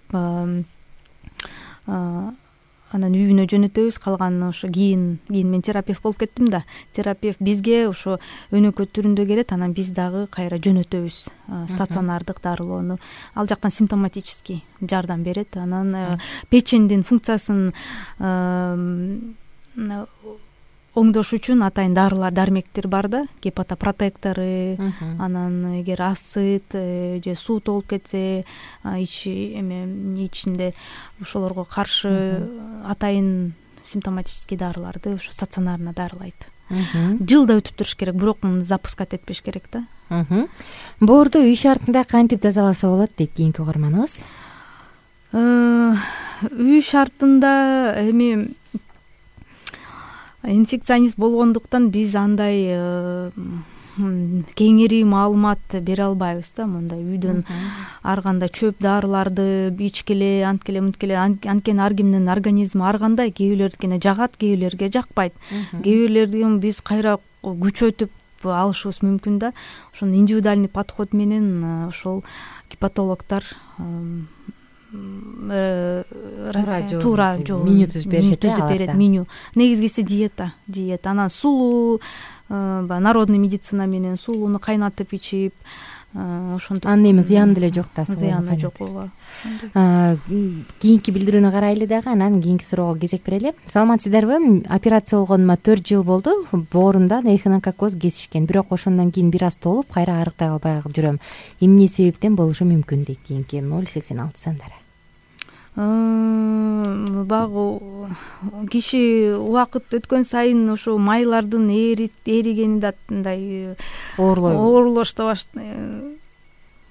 анан үйүнө жөнөтөбүз, калганын ошо кийин кийин мен терапевт болуп кеттим да, терапевт бизге ошо өнөкөт түрүндө келет, анан биз дагы кайра жөнөтөбүз стационардык дарылоону. Ал жактан симптоматический жардам берет. Анан печендин функциясын оңдош үчүн атайын дарылар, дармектер бар да, гепатопротекторы, анан эгер асыт же суу толуп кетсе ичи эме ичинде ошолорго каршы атайын симптоматический дарыларды ошо стационарно дарылайт. Жылда өтүп туруш керек, бирок муну запускать этпеш керек да. Боорду үй шартында кантип тазаласа болот дейт кийинки угарманыбыз. Үй шартында эми инфекционист болгондуктан биз андай кеңири маалымат бере албайбыз да. Мындай үйдөн ар кандай чөп дарыларды ичкиле, анткеле мынткеле, анткени ар кимдин организми ар кандай, кээ бирлердикине жагат, кээ бирлерге жакпайт, кээ бирлердин биз кайра күчөтүп алышыбыз мүмкүн да. Ошону индивидуальный подход менен ошол гепатологдор туура меню түзүп берет. Меню негизгиси диета, диета. Анан сулуу, баягы народный медицина менен сулууну кайнатып ичип, ошентип. Анын эми зыяны деле жок да. Зыяны жок, ооба. Кийинки билдирүүнү карайлы дагы, анан кийинки суроого кезек берели. Саламатсыздарбы? Операция болгонума төрт жыл болду. Боорумдан эхинококоз кесишкен, бирок ошондон кийин бир аз толуп, кайра арыктай албай жүрөм. Эмне себептен болушу мүмкүн дейт кийинки ноль сексен алты сандары. Багы киши убакыт өткөн сайын ошо майлардын эригени да мындай оорлошто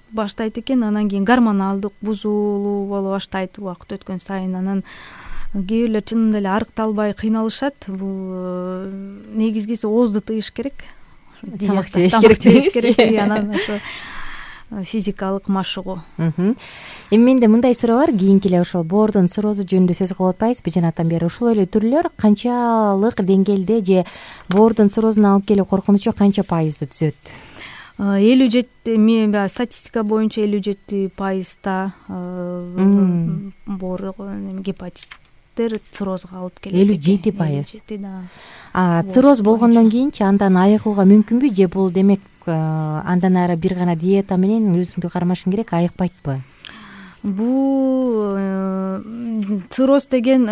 баштайт экен. Анан кийин гормоналдык бузулуу боло баштайт убакыт өткөн сайын. Анан кээ бирлер чынында эле арыкталбай кыйналышат. Бул негизгиси оозду тыйыш керек, тамак жеш керек. Анан ошо физикалык машыгуу. Эми менде мындай суроо бар, кийинки эле ошол боордун циррозу жөнүндө сөз кылып атпайбызбы жанатан бери? Ушул эле түрлөр канчалык деңгээлде же боордун циррозуна алып келүү коркунучу канча пайызды түзөт? элүү жети мен статистика боюнча элүү жети пайызда боор гепатиттер циррозго алып келет. элүү жети пайыз. А цирроз болгондон кийинчи андан айыгууга мүмкүнбү же бул демек андан ары бир гана диета менен өзүңдү кармашың керек, айыкпайтпы? Бул цирроз деген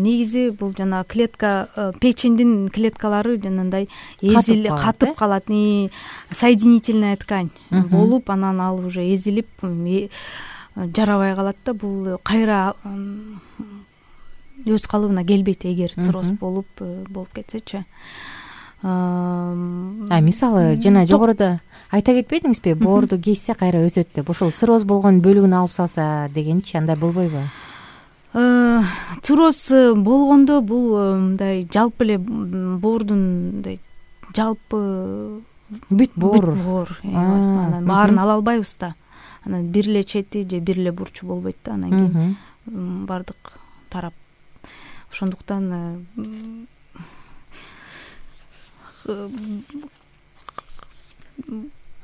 негизи бул жана клетка, печендин клеткалары жанагындай эзилип катып калат, соединительная ткань болуп, анан ал уже эзилип жарабай калат да. Бул кайра өз калыбына келбейт эгер цирроз болуп болуп кетсечи. А мисалы жана жогоруда айта кетпедиңизби, боорду кессе кайра өсөт деп. Ошол цирроз болгон бөлүгүн алып салса дегенчи, андай болбойбу? Цирроз болгондо бул мындай жалпы эле боордун мындай жалпы бүт боор, анан баарын ала албайбыз да. Анан бир эле чети же бир эле бурчу болбойт да, анан кийин бардык тарап. Ошондуктан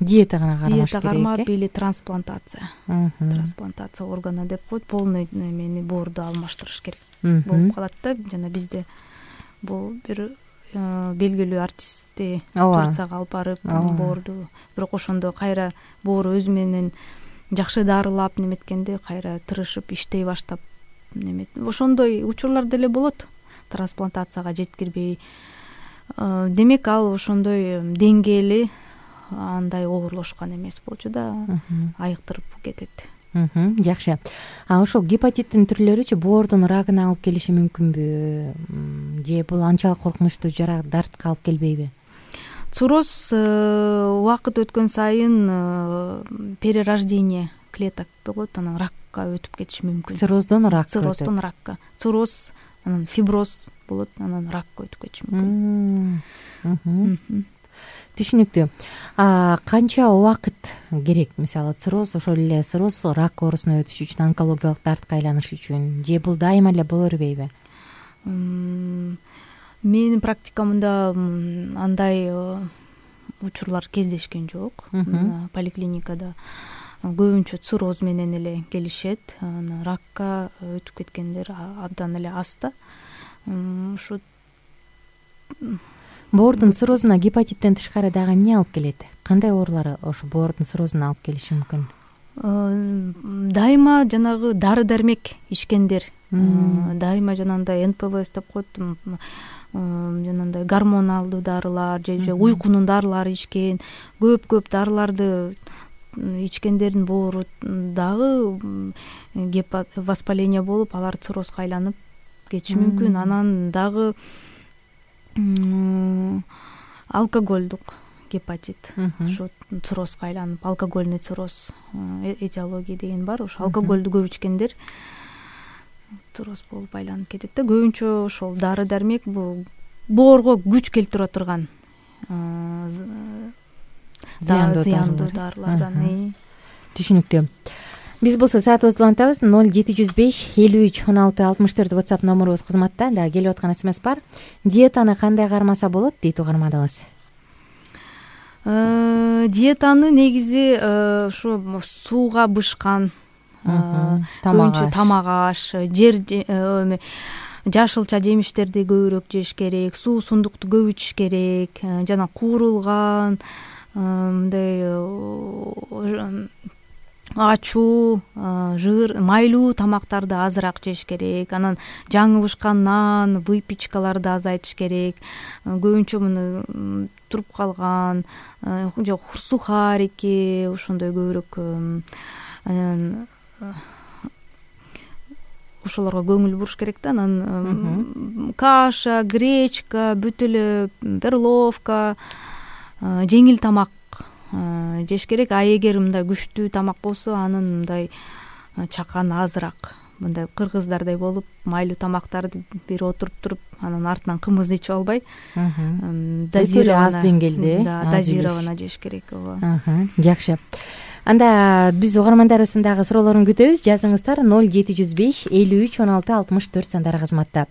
диета гана кармаш керек. Диета кармап или трансплантация. Трансплантация органа деп коет, полный эмени боорду алмаштырыш керек болуп калат да. Жана бизде бул бир белгилүү артистти Турцияга алып барып боорду, бирок ошондо кайра боору өзү менен жакшы дарылап неметкенде кайра тырышып иштей баштап немет. Ошондой учурлар деле болот, трансплантацияга жеткирбей. Демек ал ошондой деңгээли андай оорлошкон эмес болчу да, айыктырып кетет. Жакшы. А ошол гепатиттин түрлөрүчү боордун рагына алып келиши мүмкүнбү? Же бул анчалык коркунучтуу жара дартка алып келбейби? Цирроз убакыт өткөн сайын перерождение клеток болот, анан ракка өтүп кетиши мүмкүн. Цирроздон ракка. Цирроздон ракка. Цирроз, анан фиброз болот, анан ракка өтүп кетиши мүмкүн. Түшүнүктүү. А канча убакыт керек? Мисалы цирроз, ошол эле цирроз рак оорусуна өтүш үчүн, онкологиялык дартка айланыш үчүн, же бул дайыма эле боло бербейби? Менин практикамда андай учурлар кездешкен жок поликлиникада. көбүнчө цирроз менен эле келишет. Анан ракка өтүп кеткендер абдан эле аз да. Ушу боордун циррозуна гепатиттен тышкары дагы эмне алып келет? Кандай оорулар ошо боордун циррозуна алып келиши мүмкүн? Дайыма жанагы дары дармек ичкендер, дайыма жанагындай эн пэ вэ эс деп коет, жанагындай гормоналдуу дарылар же уйкунун дарылары ичкен, көп-көп дарыларды ичкендердин боору дагы воспаление болуп, алар циррозго айланып кетиши мүмкүн. Анан дагы алкоголдук гепатит, ошо циррозго айланып, алкогольный цирроз этиология деген бар. Ошо алкоголду көп ичкендер цирроз болуп айланып кетет да. Көбүнчө ошол дары дармек бул боорго күч келтире турган зыяндуу дарылардан. Түшүнүктүү. Биз болсо саатыбызды улантабыз. ноль жети жүз беш элүү үч он алты алтымыш төрт WhatsApp номурубуз кызматта. Дагы келип аткан смс бар. Диетаны кандай кармаса болот дейт угарманыбыз. Диетаны негизи ошо сууга бышкан, көбүнчө тамак аш, жер жашылча жемиштерди көбүрөөк жеш керек, суусундукту көп ичиш керек, жана куурулган мындай ачуу, жыр, майлуу тамактарды азыраак жеш керек. Анан жаңы бышкан нан, выпечкаларды азайтыш керек. Көбүнчө муну туруп калган же сухарики, ошондой көбүрөөк анан ошолорго көңүл буруш керек да. Анан каша, гречка, бүт эле перловка, жеңил тамак жеш керек. А эгер мындай күчтүү тамак болсо, анын мындай чакан азыраак, мындай кыргыздардай болуп майлуу тамактарды бир отуруп туруп, анан артынан кымыз ичип албай, дозировано, аз деңгээлде, дозировано жеш керек. Ооба. Жакшы. Анда биз угармандарыбыздын дагы суроолорун күтөбүз. Жазыңыздар ноль жети жүз беш элүү үч он алты алтымыш төрт сандары кызматта.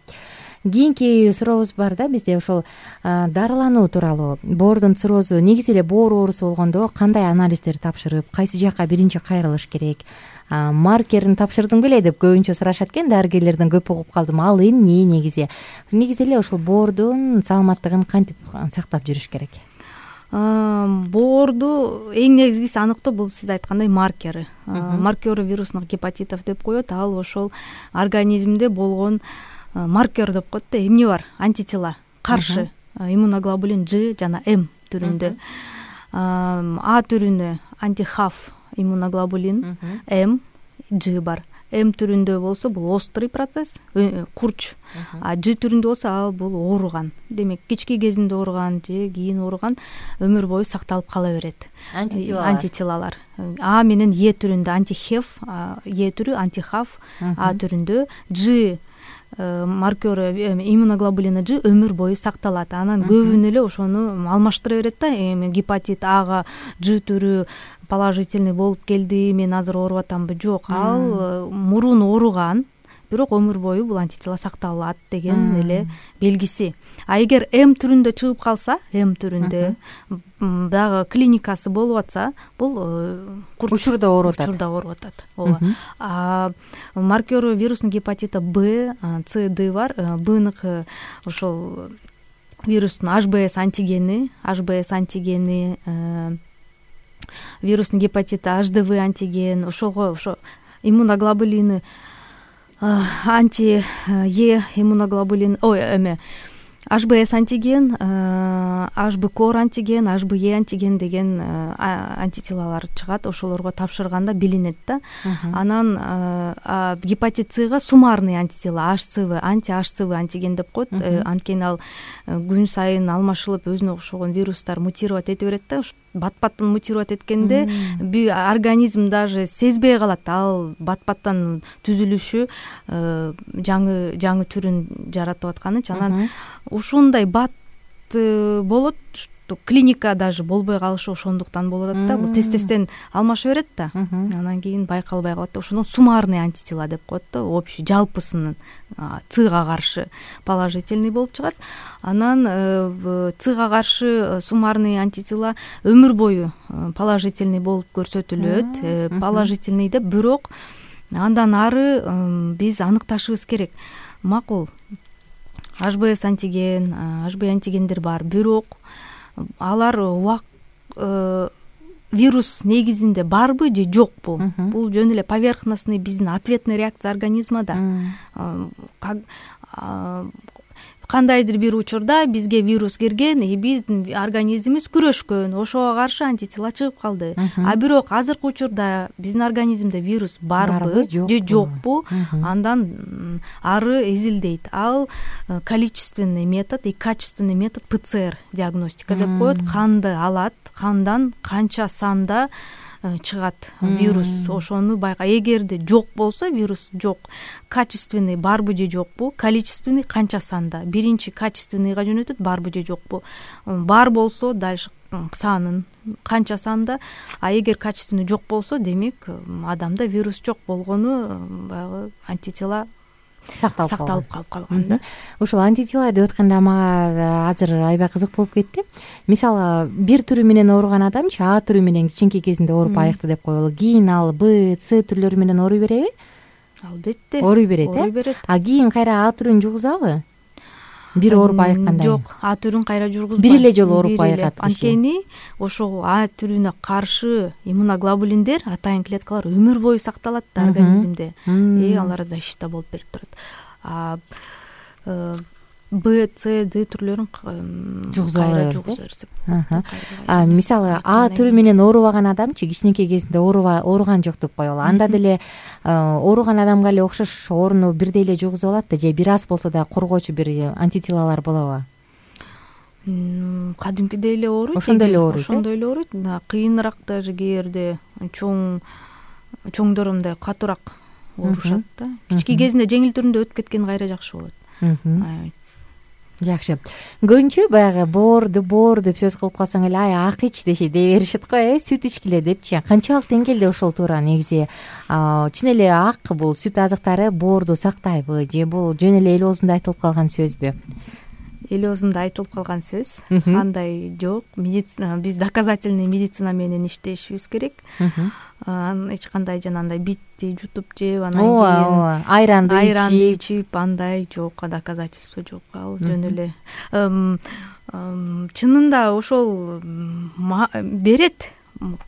Кийинки сурообуз бар да бизде, ошол дарылануу тууралуу. Боордун циррозу, негизи эле боор оорусу болгондо кандай анализдерди тапшырып, кайсы жакка биринчи кайрылыш керек? Маркерин тапшырдың беле деп көбүнчө сурашат экен, дарыгерлерден көп угуп калдым. Ал эмне негизи? Негизи эле ошол боордун саламаттыгын кантип сактап жүрүш керек? Боорду эң негизгиси аныктоо бул сиз айткандай маркери. Маркеры вирусных гепатитов деп коет. Ал ошол организмде болгон маркер деп коет да. Эмне бар? Антитела каршы иммуноглобулин G жана М түрүндө. А түрүнө антихав иммуноглобулин М, G бар. М түрүндө болсо бул острый процесс, курч. А G түрүндө болсо ал бул ооруган. Демек, кички кезинде ооруган же кийин ооруган өмүр бою сакталып кала берет. Антителалар. Антителалар. А менен Е түрүндө антихев, Е түрү антихав, А түрүндө G маркеры иммуноглобулина G өмүр бою сакталат. Анан көбүн эле ошону алмаштыра берет да. Эми гепатит Ага G түрү положительный болуп келди, мен азыр ооруп атамбы? Жок, ал мурун ооруган, бирок өмүр бою бул антитела сакталат деген эле белгиси. А эгер М түрүндө чыгып калса, М түрүндө дагы клиникасы болуп атса, бул учурда ооруп атат. Учурда ооруп атат. Ооба. А маркеры вирусный гепатита Б, С, Д бар. Бныкы ошол вирустун H B S антигени, H B S антигени, вирусный гепатит H D V антиген, ошого ошо иммуноглобулины анти Е иммуноглобулин, ой, эме H B S антиген, H B кор антиген, H B E антиген деген антителалар чыгат. Ошолорго тапшырганда билинет да. Анан гепатит Сга суммарный антитела H C V, анти-H C V антиген деп коет. Анткени ал күн сайын алмашылып өзүнө окшогон вирустар мутировать эте берет да. Бат-баттан мутировать эткенде организм даже сезбей калат. Ал бат-баттан түзүлүшү жаңы жаңы түрүн жаратып атканы. Анан ушундай бат болот, клиника даже болбой калышы ошондуктан болуп атат да. Бул тез тезден алмаша берет да, анан кийин байкалбай калат да. Ошондон суммарный антитела деп коет да, общий жалпысынын цга каршы положительный болуп чыгат. Анан цга каршы суммарный антитела өмүр бою положительный болуп көрсөтүлөт. Положительный деп бирок андан ары биз аныкташыбыз керек. Макул эйч би эс антиген, эйч би антигендер бар, бирок алар убак вирус негизинде барбы же жокпу? Бул жөн эле поверхностный биздин ответный реакция организмада. Кандайдыр бир учурда бизге вирус кирген, и биздин организмибиз күрөшкөн, ошого каршы антитела чыгып калды. А бирок азыркы учурда биздин организмде вирус барбы же жокпу, андан ары изилдейт. Ал количественный метод и качественный метод ПЦР диагностика деп коет. Канды алат, кандан канча санда чыгат вирус, ошону байка. Эгерде жок болсо, вирус жок, качественный барбы же жокпу, количественный канча санда. Биринчи качественныйга жөнөтөт, барбы же жокпу. Бар болсо дальше санын канча санда, а эгер качественный жок болсо, демек адамда вирус жок болгону баягы антитела сакталып калып калган да. Ушул антитела деп атканда мага азыр аябай кызык болуп кетти. Мисалы, бир түрү менен ооруган адамчы А түрү менен кичинекей кезинде ооруп аякты деп коелу. Кийин ал Б, С түрлөрү менен ооруй береби? Албетте. Ооруй берет, э? А кийин кайра А түрүн жугузабы? Бир ооруп айыкканда? Жок, А түрүн кайра жургузбайт. Бир эле жолу ооруп айыкат киши. Анткени ошол А түрүнө каршы иммуноглобулиндер, атайын клеткалар өмүр бою сакталат да организмде. И алар защита болуп берип турат. А Б, С, Д түрлөрүн кайра жугуза берсек. А мисалы, А түрү менен оорубаган адамчы кичинекей кезинде ооруган жок деп коелу. Анда деле ооруган адамга эле окшош ооруну бирдей эле жугузуп алат да, же бир аз болсо да коргоочу бир антителалар болобу? Кадимкидей эле ооруйт. Ошондой эле ооруйт. Ошондой эле ооруйт. Кыйыныраак даже кээде чоң чоңдор мындай катуураак оорушат да. Кички кезинде жеңил түрүндө өтүп кеткен кайра жакшы болот. Жакшы. Көбүнчө баягы боорду боор деп сөз кылып калсаң эле ай ак ич деши дей беришет го, э, сүт ичкиле депчи. Канчалык деңгээлде ошол туура негизи? Чын эле ак бул сүт азыктары боорду сактайбы же бул жөн эле эл оозунда айтылып калган сөзбү? Эл оозунда айтылып калган сөз. Андай жок. Медицина, биз доказательный медицина менен иштешибиз керек. Эч кандай жанагындай битти жутуп жеп, анан кийин айранды ичип, андай жок, доказательство жок. Ал жөн эле чынында ошол берет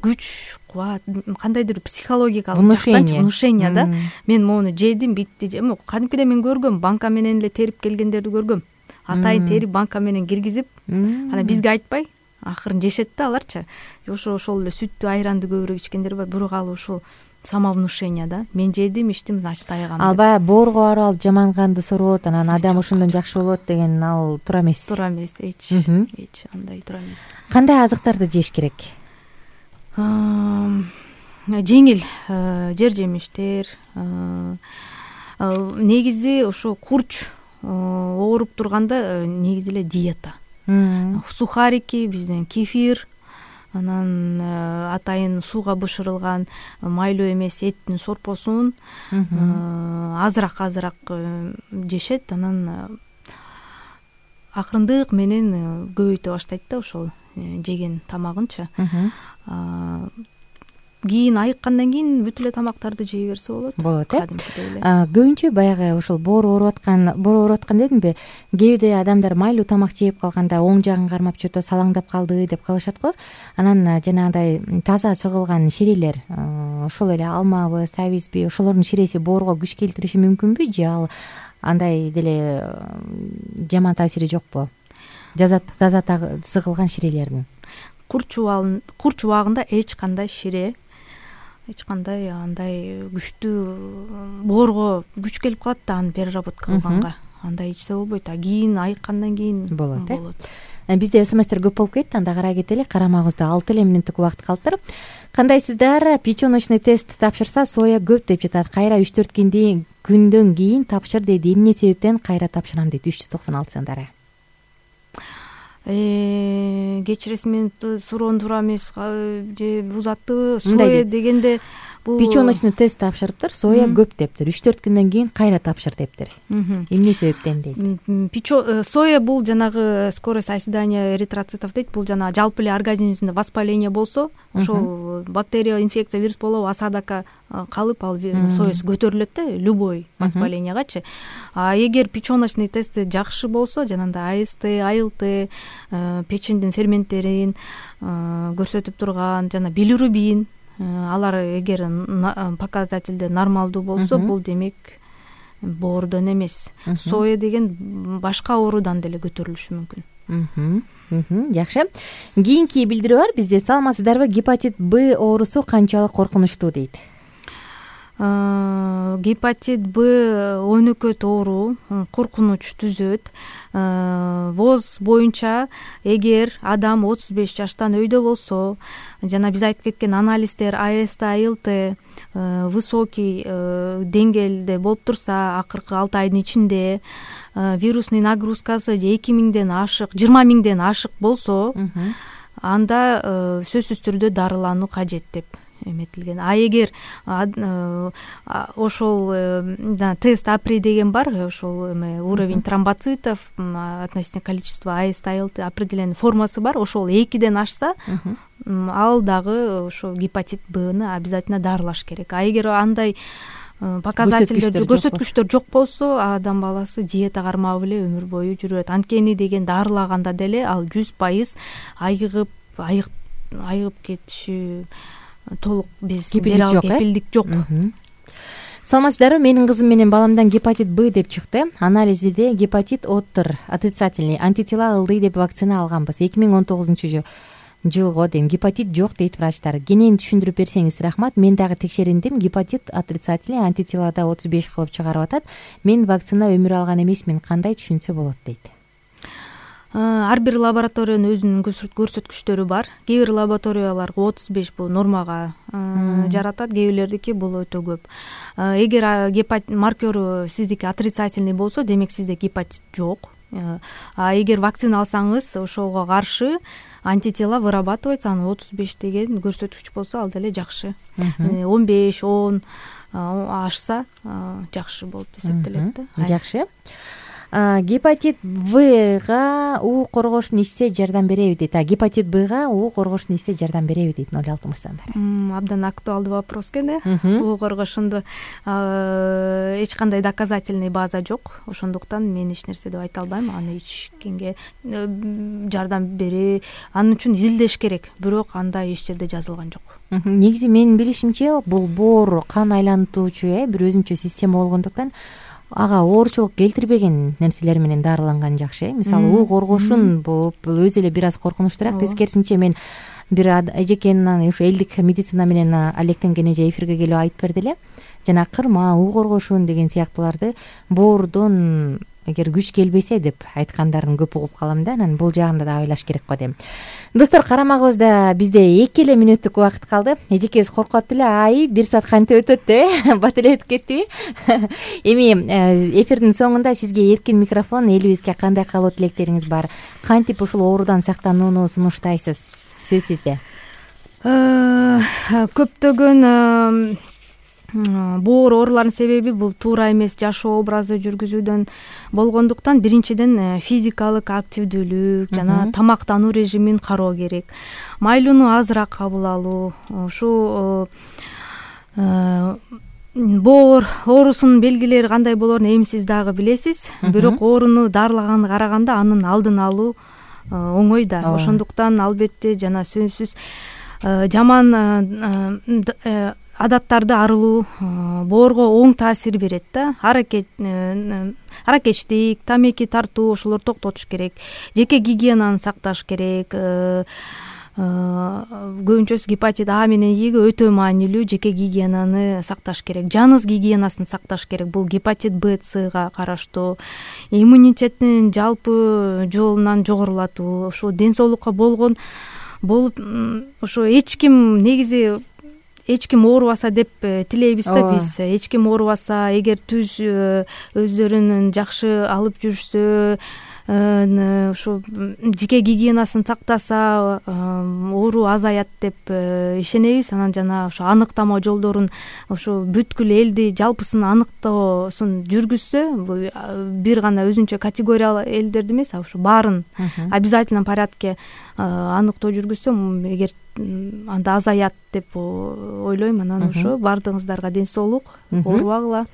күч, кубат, кандайдыр психологиялык жактан внушение да. Мен мону жедим, битти. Кадимкиде мен көргөм, банка менен эле терип келгендерди көргөм. Атайын терип банка менен киргизип, анан бизге айтпай акырын жешет да аларчы. Ошо ошол эле сүттү, айранды көбүрөөк ичкендер бар, бирок ал ушул самовнушение да. Мен жедим, ичтим, значит айыгам. Ал баягы боорго барып алып жаман канды сорот, анан адам ошондон жакшы болот деген ал туура эмес. Туура эмес, эч эч андай туура эмес. Кандай азыктарды жеш керек? Жеңил жер жемиштер, негизи ошо курч ооруп турганда негизи эле диета. Сухарики, бизден кефир, анан атайын сууга бышырылган майлуу эмес эттин сорпосун азыраак-азыраак жешет, анан акырындык менен көбөйтө баштайт да ошол жеген тамагынчы. Кийин айыккандан кийин бүт эле тамактарды жей берсе болот. Болот, э? Көбүнчө баягы ошол боор ооруп аткан, боор ооруп аткан дедимби? Кээде адамдар майлуу тамак жеп калганда оң жагын кармап жүртө салаңдап калды деп калышат го. Анан жанагындай таза чыгылган ширелер, ошол эле алмабы, сабизби, ошолордун ширеси боорго күч келтириши мүмкүнбү же ал андай деле жаман таасири жокпу? Таза сыгылган ширелердин. Курч убагында эч кандай шире, эч кандай андай күчтүү боорго күч келип калат да, аны переработка кылганга. Андай ичсе болбойт, а кийин айыккандан кийин болот. Бизде смстер көп болуп кетти, анда карай кетели. Карамагыбызда алты эле мүнөттүк убакыт калыптыр. Кандайсыздар? Печёночный тест тапшырса соя көп деп жатат. Кайра үч төрт күндөн кийин тапшыр дейт. Эмне себептен кайра тапшырам дейт. үч жүз токсон алты сандары. кечиресиз мени суроону туура эмес же буз аттыбы, соя дегенде бул печёночный тест тапшырыптыр, соя көп дептир, үч төрт күндөн кийин кайра тапшыр дептир. Эмне себептен дейт? Соя бул жанагы скорость оседания эритроцитов дейт. Бул жанагы жалпы эле организмибизде воспаление болсо, ошол бактерия, инфекция, вирус болобу, осадокко калып ал соясы көтөрүлөт да, любой воспалениягачы. А эгер печёночный тести жакшы болсо, жанагындай АСТ, АЛТ, печендин ферменттерин көрсөтүп турган жана билирубин, алар эгер показательде нормалдуу болсо, бул демек боордон эмес. Соя деген башка оорудан деле көтөрүлүшү мүмкүн. Жакшы. Кийинки билдирүү бар бизде. Саламатсыздарбы? Гепатит Б оорусу канчалык коркунучтуу дейт. Гепатит Б өнөкөт оору, коркунуч түзөт. ВОЗ боюнча эгер адам отуз беш жаштан өйдө болсо, жана биз айтып кеткен анализдер АСТ, АЛТ высокий деңгээлде болуп турса, акыркы алты айдын ичинде вирусный нагрузкасы эки миңден ашык, жыйырма миңден ашык болсо, анда сөзсүз түрдө дарылануу кажет деп эметилген. А эгер ошол тест АПРИ деген бар, ошол уровень тромбоцитов, относительно количества АСТ, АЛТ определенный формасы бар, ошол экиден ашса, ал дагы ошо гепатит Бны обязательно дарылаш керек. А эгер андай показательдер, көрсөткүчтөр жок болсо, адам баласы диета кармап эле өмүр бою жүрөт. Анткени деген дарылаганда деле ал жүз пайыз айыгып айыгып кетиши толук биз кепилдик жок. Саламатсыздарбы? Менин кызым менен баламдан гепатит Б деп чыкты. Анализде гепатит О'тур, отрицательный, антитела ылдый деп вакцина алганбыз. эки миң он тогузунчу жылго дейм. Гепатит жок дейт врачтар. Кенен түшүндүрүп берсеңиз рахмат. Мен дагы текшериндим. Гепатит отрицательный, антителада отуз беш кылып чыгарып атат. Мен вакцина өмүр алган эмесмин. Кандай түшүнсө болот дейт. Ар бир лабораториянын өзүнүн көрсөткүчтөрү бар. Кээ бир лабораторияларга отуз беш бул нормага жаратат, кээ бирлердики бул өтө көп. Эгер гепатит маркеру сиздики отрицательный болсо, демек сизде гепатит жок. А эгер вакцина алсаңыз, ошого каршы антитела вырабатывается, аны отуз беш деген көрсөткүч болсо, ал деле жакшы. он беш, он ашса жакшы болуп эсептелет да. Жакшы. Гепатит Вга уу коргошун ичсе жардам береби дейт. А гепатит Бга уу коргошун ичсе жардам береби дейт ноль алты мырзадар. Абдан актуалдуу вопрос экен э. уу коргошунду эч кандай доказательный база жок. Ошондуктан мен эч нерсе деп айта албайм. Аны ичкенге жардам бере, анын үчүн изилдеш керек. Бирок анда эч жерде жазылган жок. Негизи менин билишимче бул боор кан айлантуучу э бир өзүнчө система болгондуктан ага ооручулук келтирбеген нерселер менен дарыланган жакшы. Мисалы, уу коргошун болуп өзү эле бир аз коркунучтуураак. Тескерисинче мен бир эжекенин ушу элдик медицина менен алектенген эже эфирге келип айтып берди эле. Жана кырма, уу коргошун деген сыяктууларды боордон эгер күч келбесе деп айткандарын көп угуп калам да. Анан бул жагында да ойлош керек го дейм. Достор, карамагыбызда бизде эки эле мүнөттүк убакыт калды. Эжекебиз коркуп эле, ай бир саат кантип өтөт деп, бат эле өтүп кеттиби? Эми эфирдин соңунда сизге эркин микрофон, элибизге кандай каалоо тилектериңиз бар? Кантип ушул оорудан сактанууну сунуштайсыз? Сөз сизде. Көптөгөн боор ооруларынын себеби бул туура эмес жашоо образы жүргүзүүдөн болгондуктан, биринчиден физикалык активдүүлүк жана тамактануу режимин кароо керек. Майлууну азыраак кабыл алуу, ушу боор оорусунун белгилери кандай болоорун эми сиз дагы билесиз. Бирок ооруну дарылаганды караганда анын алдын алуу оңой да. Ошондуктан албетте жана сөзсүз жаман адаттарды арылуу боорго оң таасир берет да. Аракет аракечтик, тамеки тартуу, ошолорду токтотуш керек. Жеке гигиенаны сакташ керек. Көбүнчөсү гепатит А менен Иге өтө маанилүү жеке гигиенаны сакташ керек. Жаныз гигиенасын сакташ керек. Бул гепатит Б, Цга караштуу. Иммунитеттин жалпы жолунан жогорулатуу, ошо ден соолукка болгон болуп, ошо эч ким негизи эч ким оорубаса деп тилейбиз да биз. Эч ким оорубаса, эгер түз өздөрүнүн жакшы алып жүрүшсө, ушу жеке гигиенасын сактаса оору азаят деп ишенебиз. Анан жана ошо аныктама жолдорун ушу бүткүл элди жалпысын аныктоосун жүргүзсө, бир гана өзүнчө категория элдерди эмес, а ушу баарын обязательном порядке аныктоо жүргүзсө, эгер анда азаят деп ойлойм. Анан ошо баардыгыңыздарга ден соолук, оорубагыла.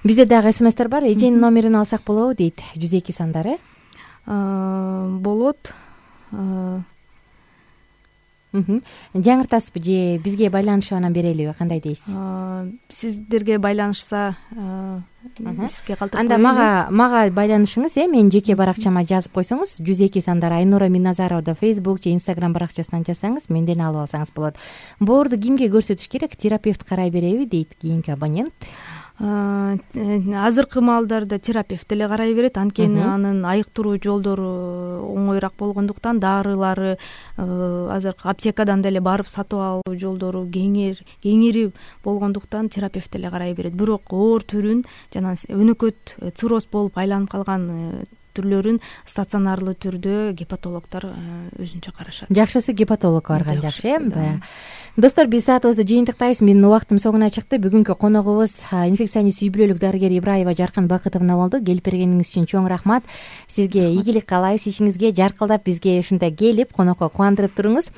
Бизде дагы смстер бар, эженин номерин алсак болобу дейт, жүз эки сандары. Болот. Жаңыртасызбы же бизге байланышып анан берелиби, кандай дейсиз? Сиздерге байланышса сизге калтырып коеюн. Анда мага мага байланышыңыз, э менин жеке баракчама жазып койсоңуз, жүз эки сандары Айнура Минназаровда Facebook же Instagram баракчасынан жазсаңыз, менден алып алсаңыз болот. Боорду кимге көрсөтүш керек? Терапевт карай береби дейт кийинки абонент. Азыркы маалдарда терапевт эле карай берет, анткени анын айыктыруу жолдору оңоюраак болгондуктан, дарылары азыркы аптекадан деле барып сатып алуу жолдору кеңири болгондуктан терапевт эле карай берет. Бирок оор түрүн, жана өнөкөт цирроз болуп айланып калган түрлөрүн стационарлуу түрдө гепатологдор өзүнчө карашат. Жакшысы гепатологко барган жакшы, э? Достор, биз саатыбызды жыйынтыктайбыз. Менин убактым соңуна чыкты. Бүгүнкү коногубуз инфекционист үй-бүлөлүк дарыгер Ибраева Жаркын Бакытовна болду. Келип бергениңиз үчүн чоң рахмат. Сизге ийгилик каалайбыз, ишиңизге жаркылдап бизге ушундай келип конокко кубандырып туруңуз.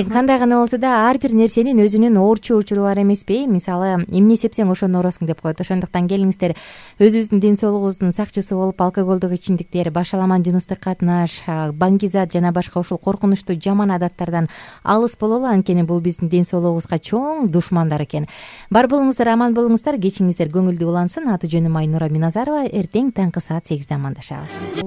Кандай гана болсо да ар бир нерсенин өзүнүн оорчу учуру бар эмеспи? Мисалы, эмне сепсең ошону ооросуң деп коет. Ошондуктан келиңиздер, өзүбүздүн ден соолугубуздун сакчысы болуп, алкоголдук ичимдиктер, башаламан жыныстык катнаш, баңгизат жана башка ушул коркунучтуу жаман адаттардан алыс бололу, анткени бул биздин ден соолугубузга чоң душмандар экен. Бар болуңуздар, аман болуңуздар, кечиңиздер көңүлдүү улансын. Аты жөнүм Айнура Минназарова. Эртең таңкы саат сегизде амандашабыз.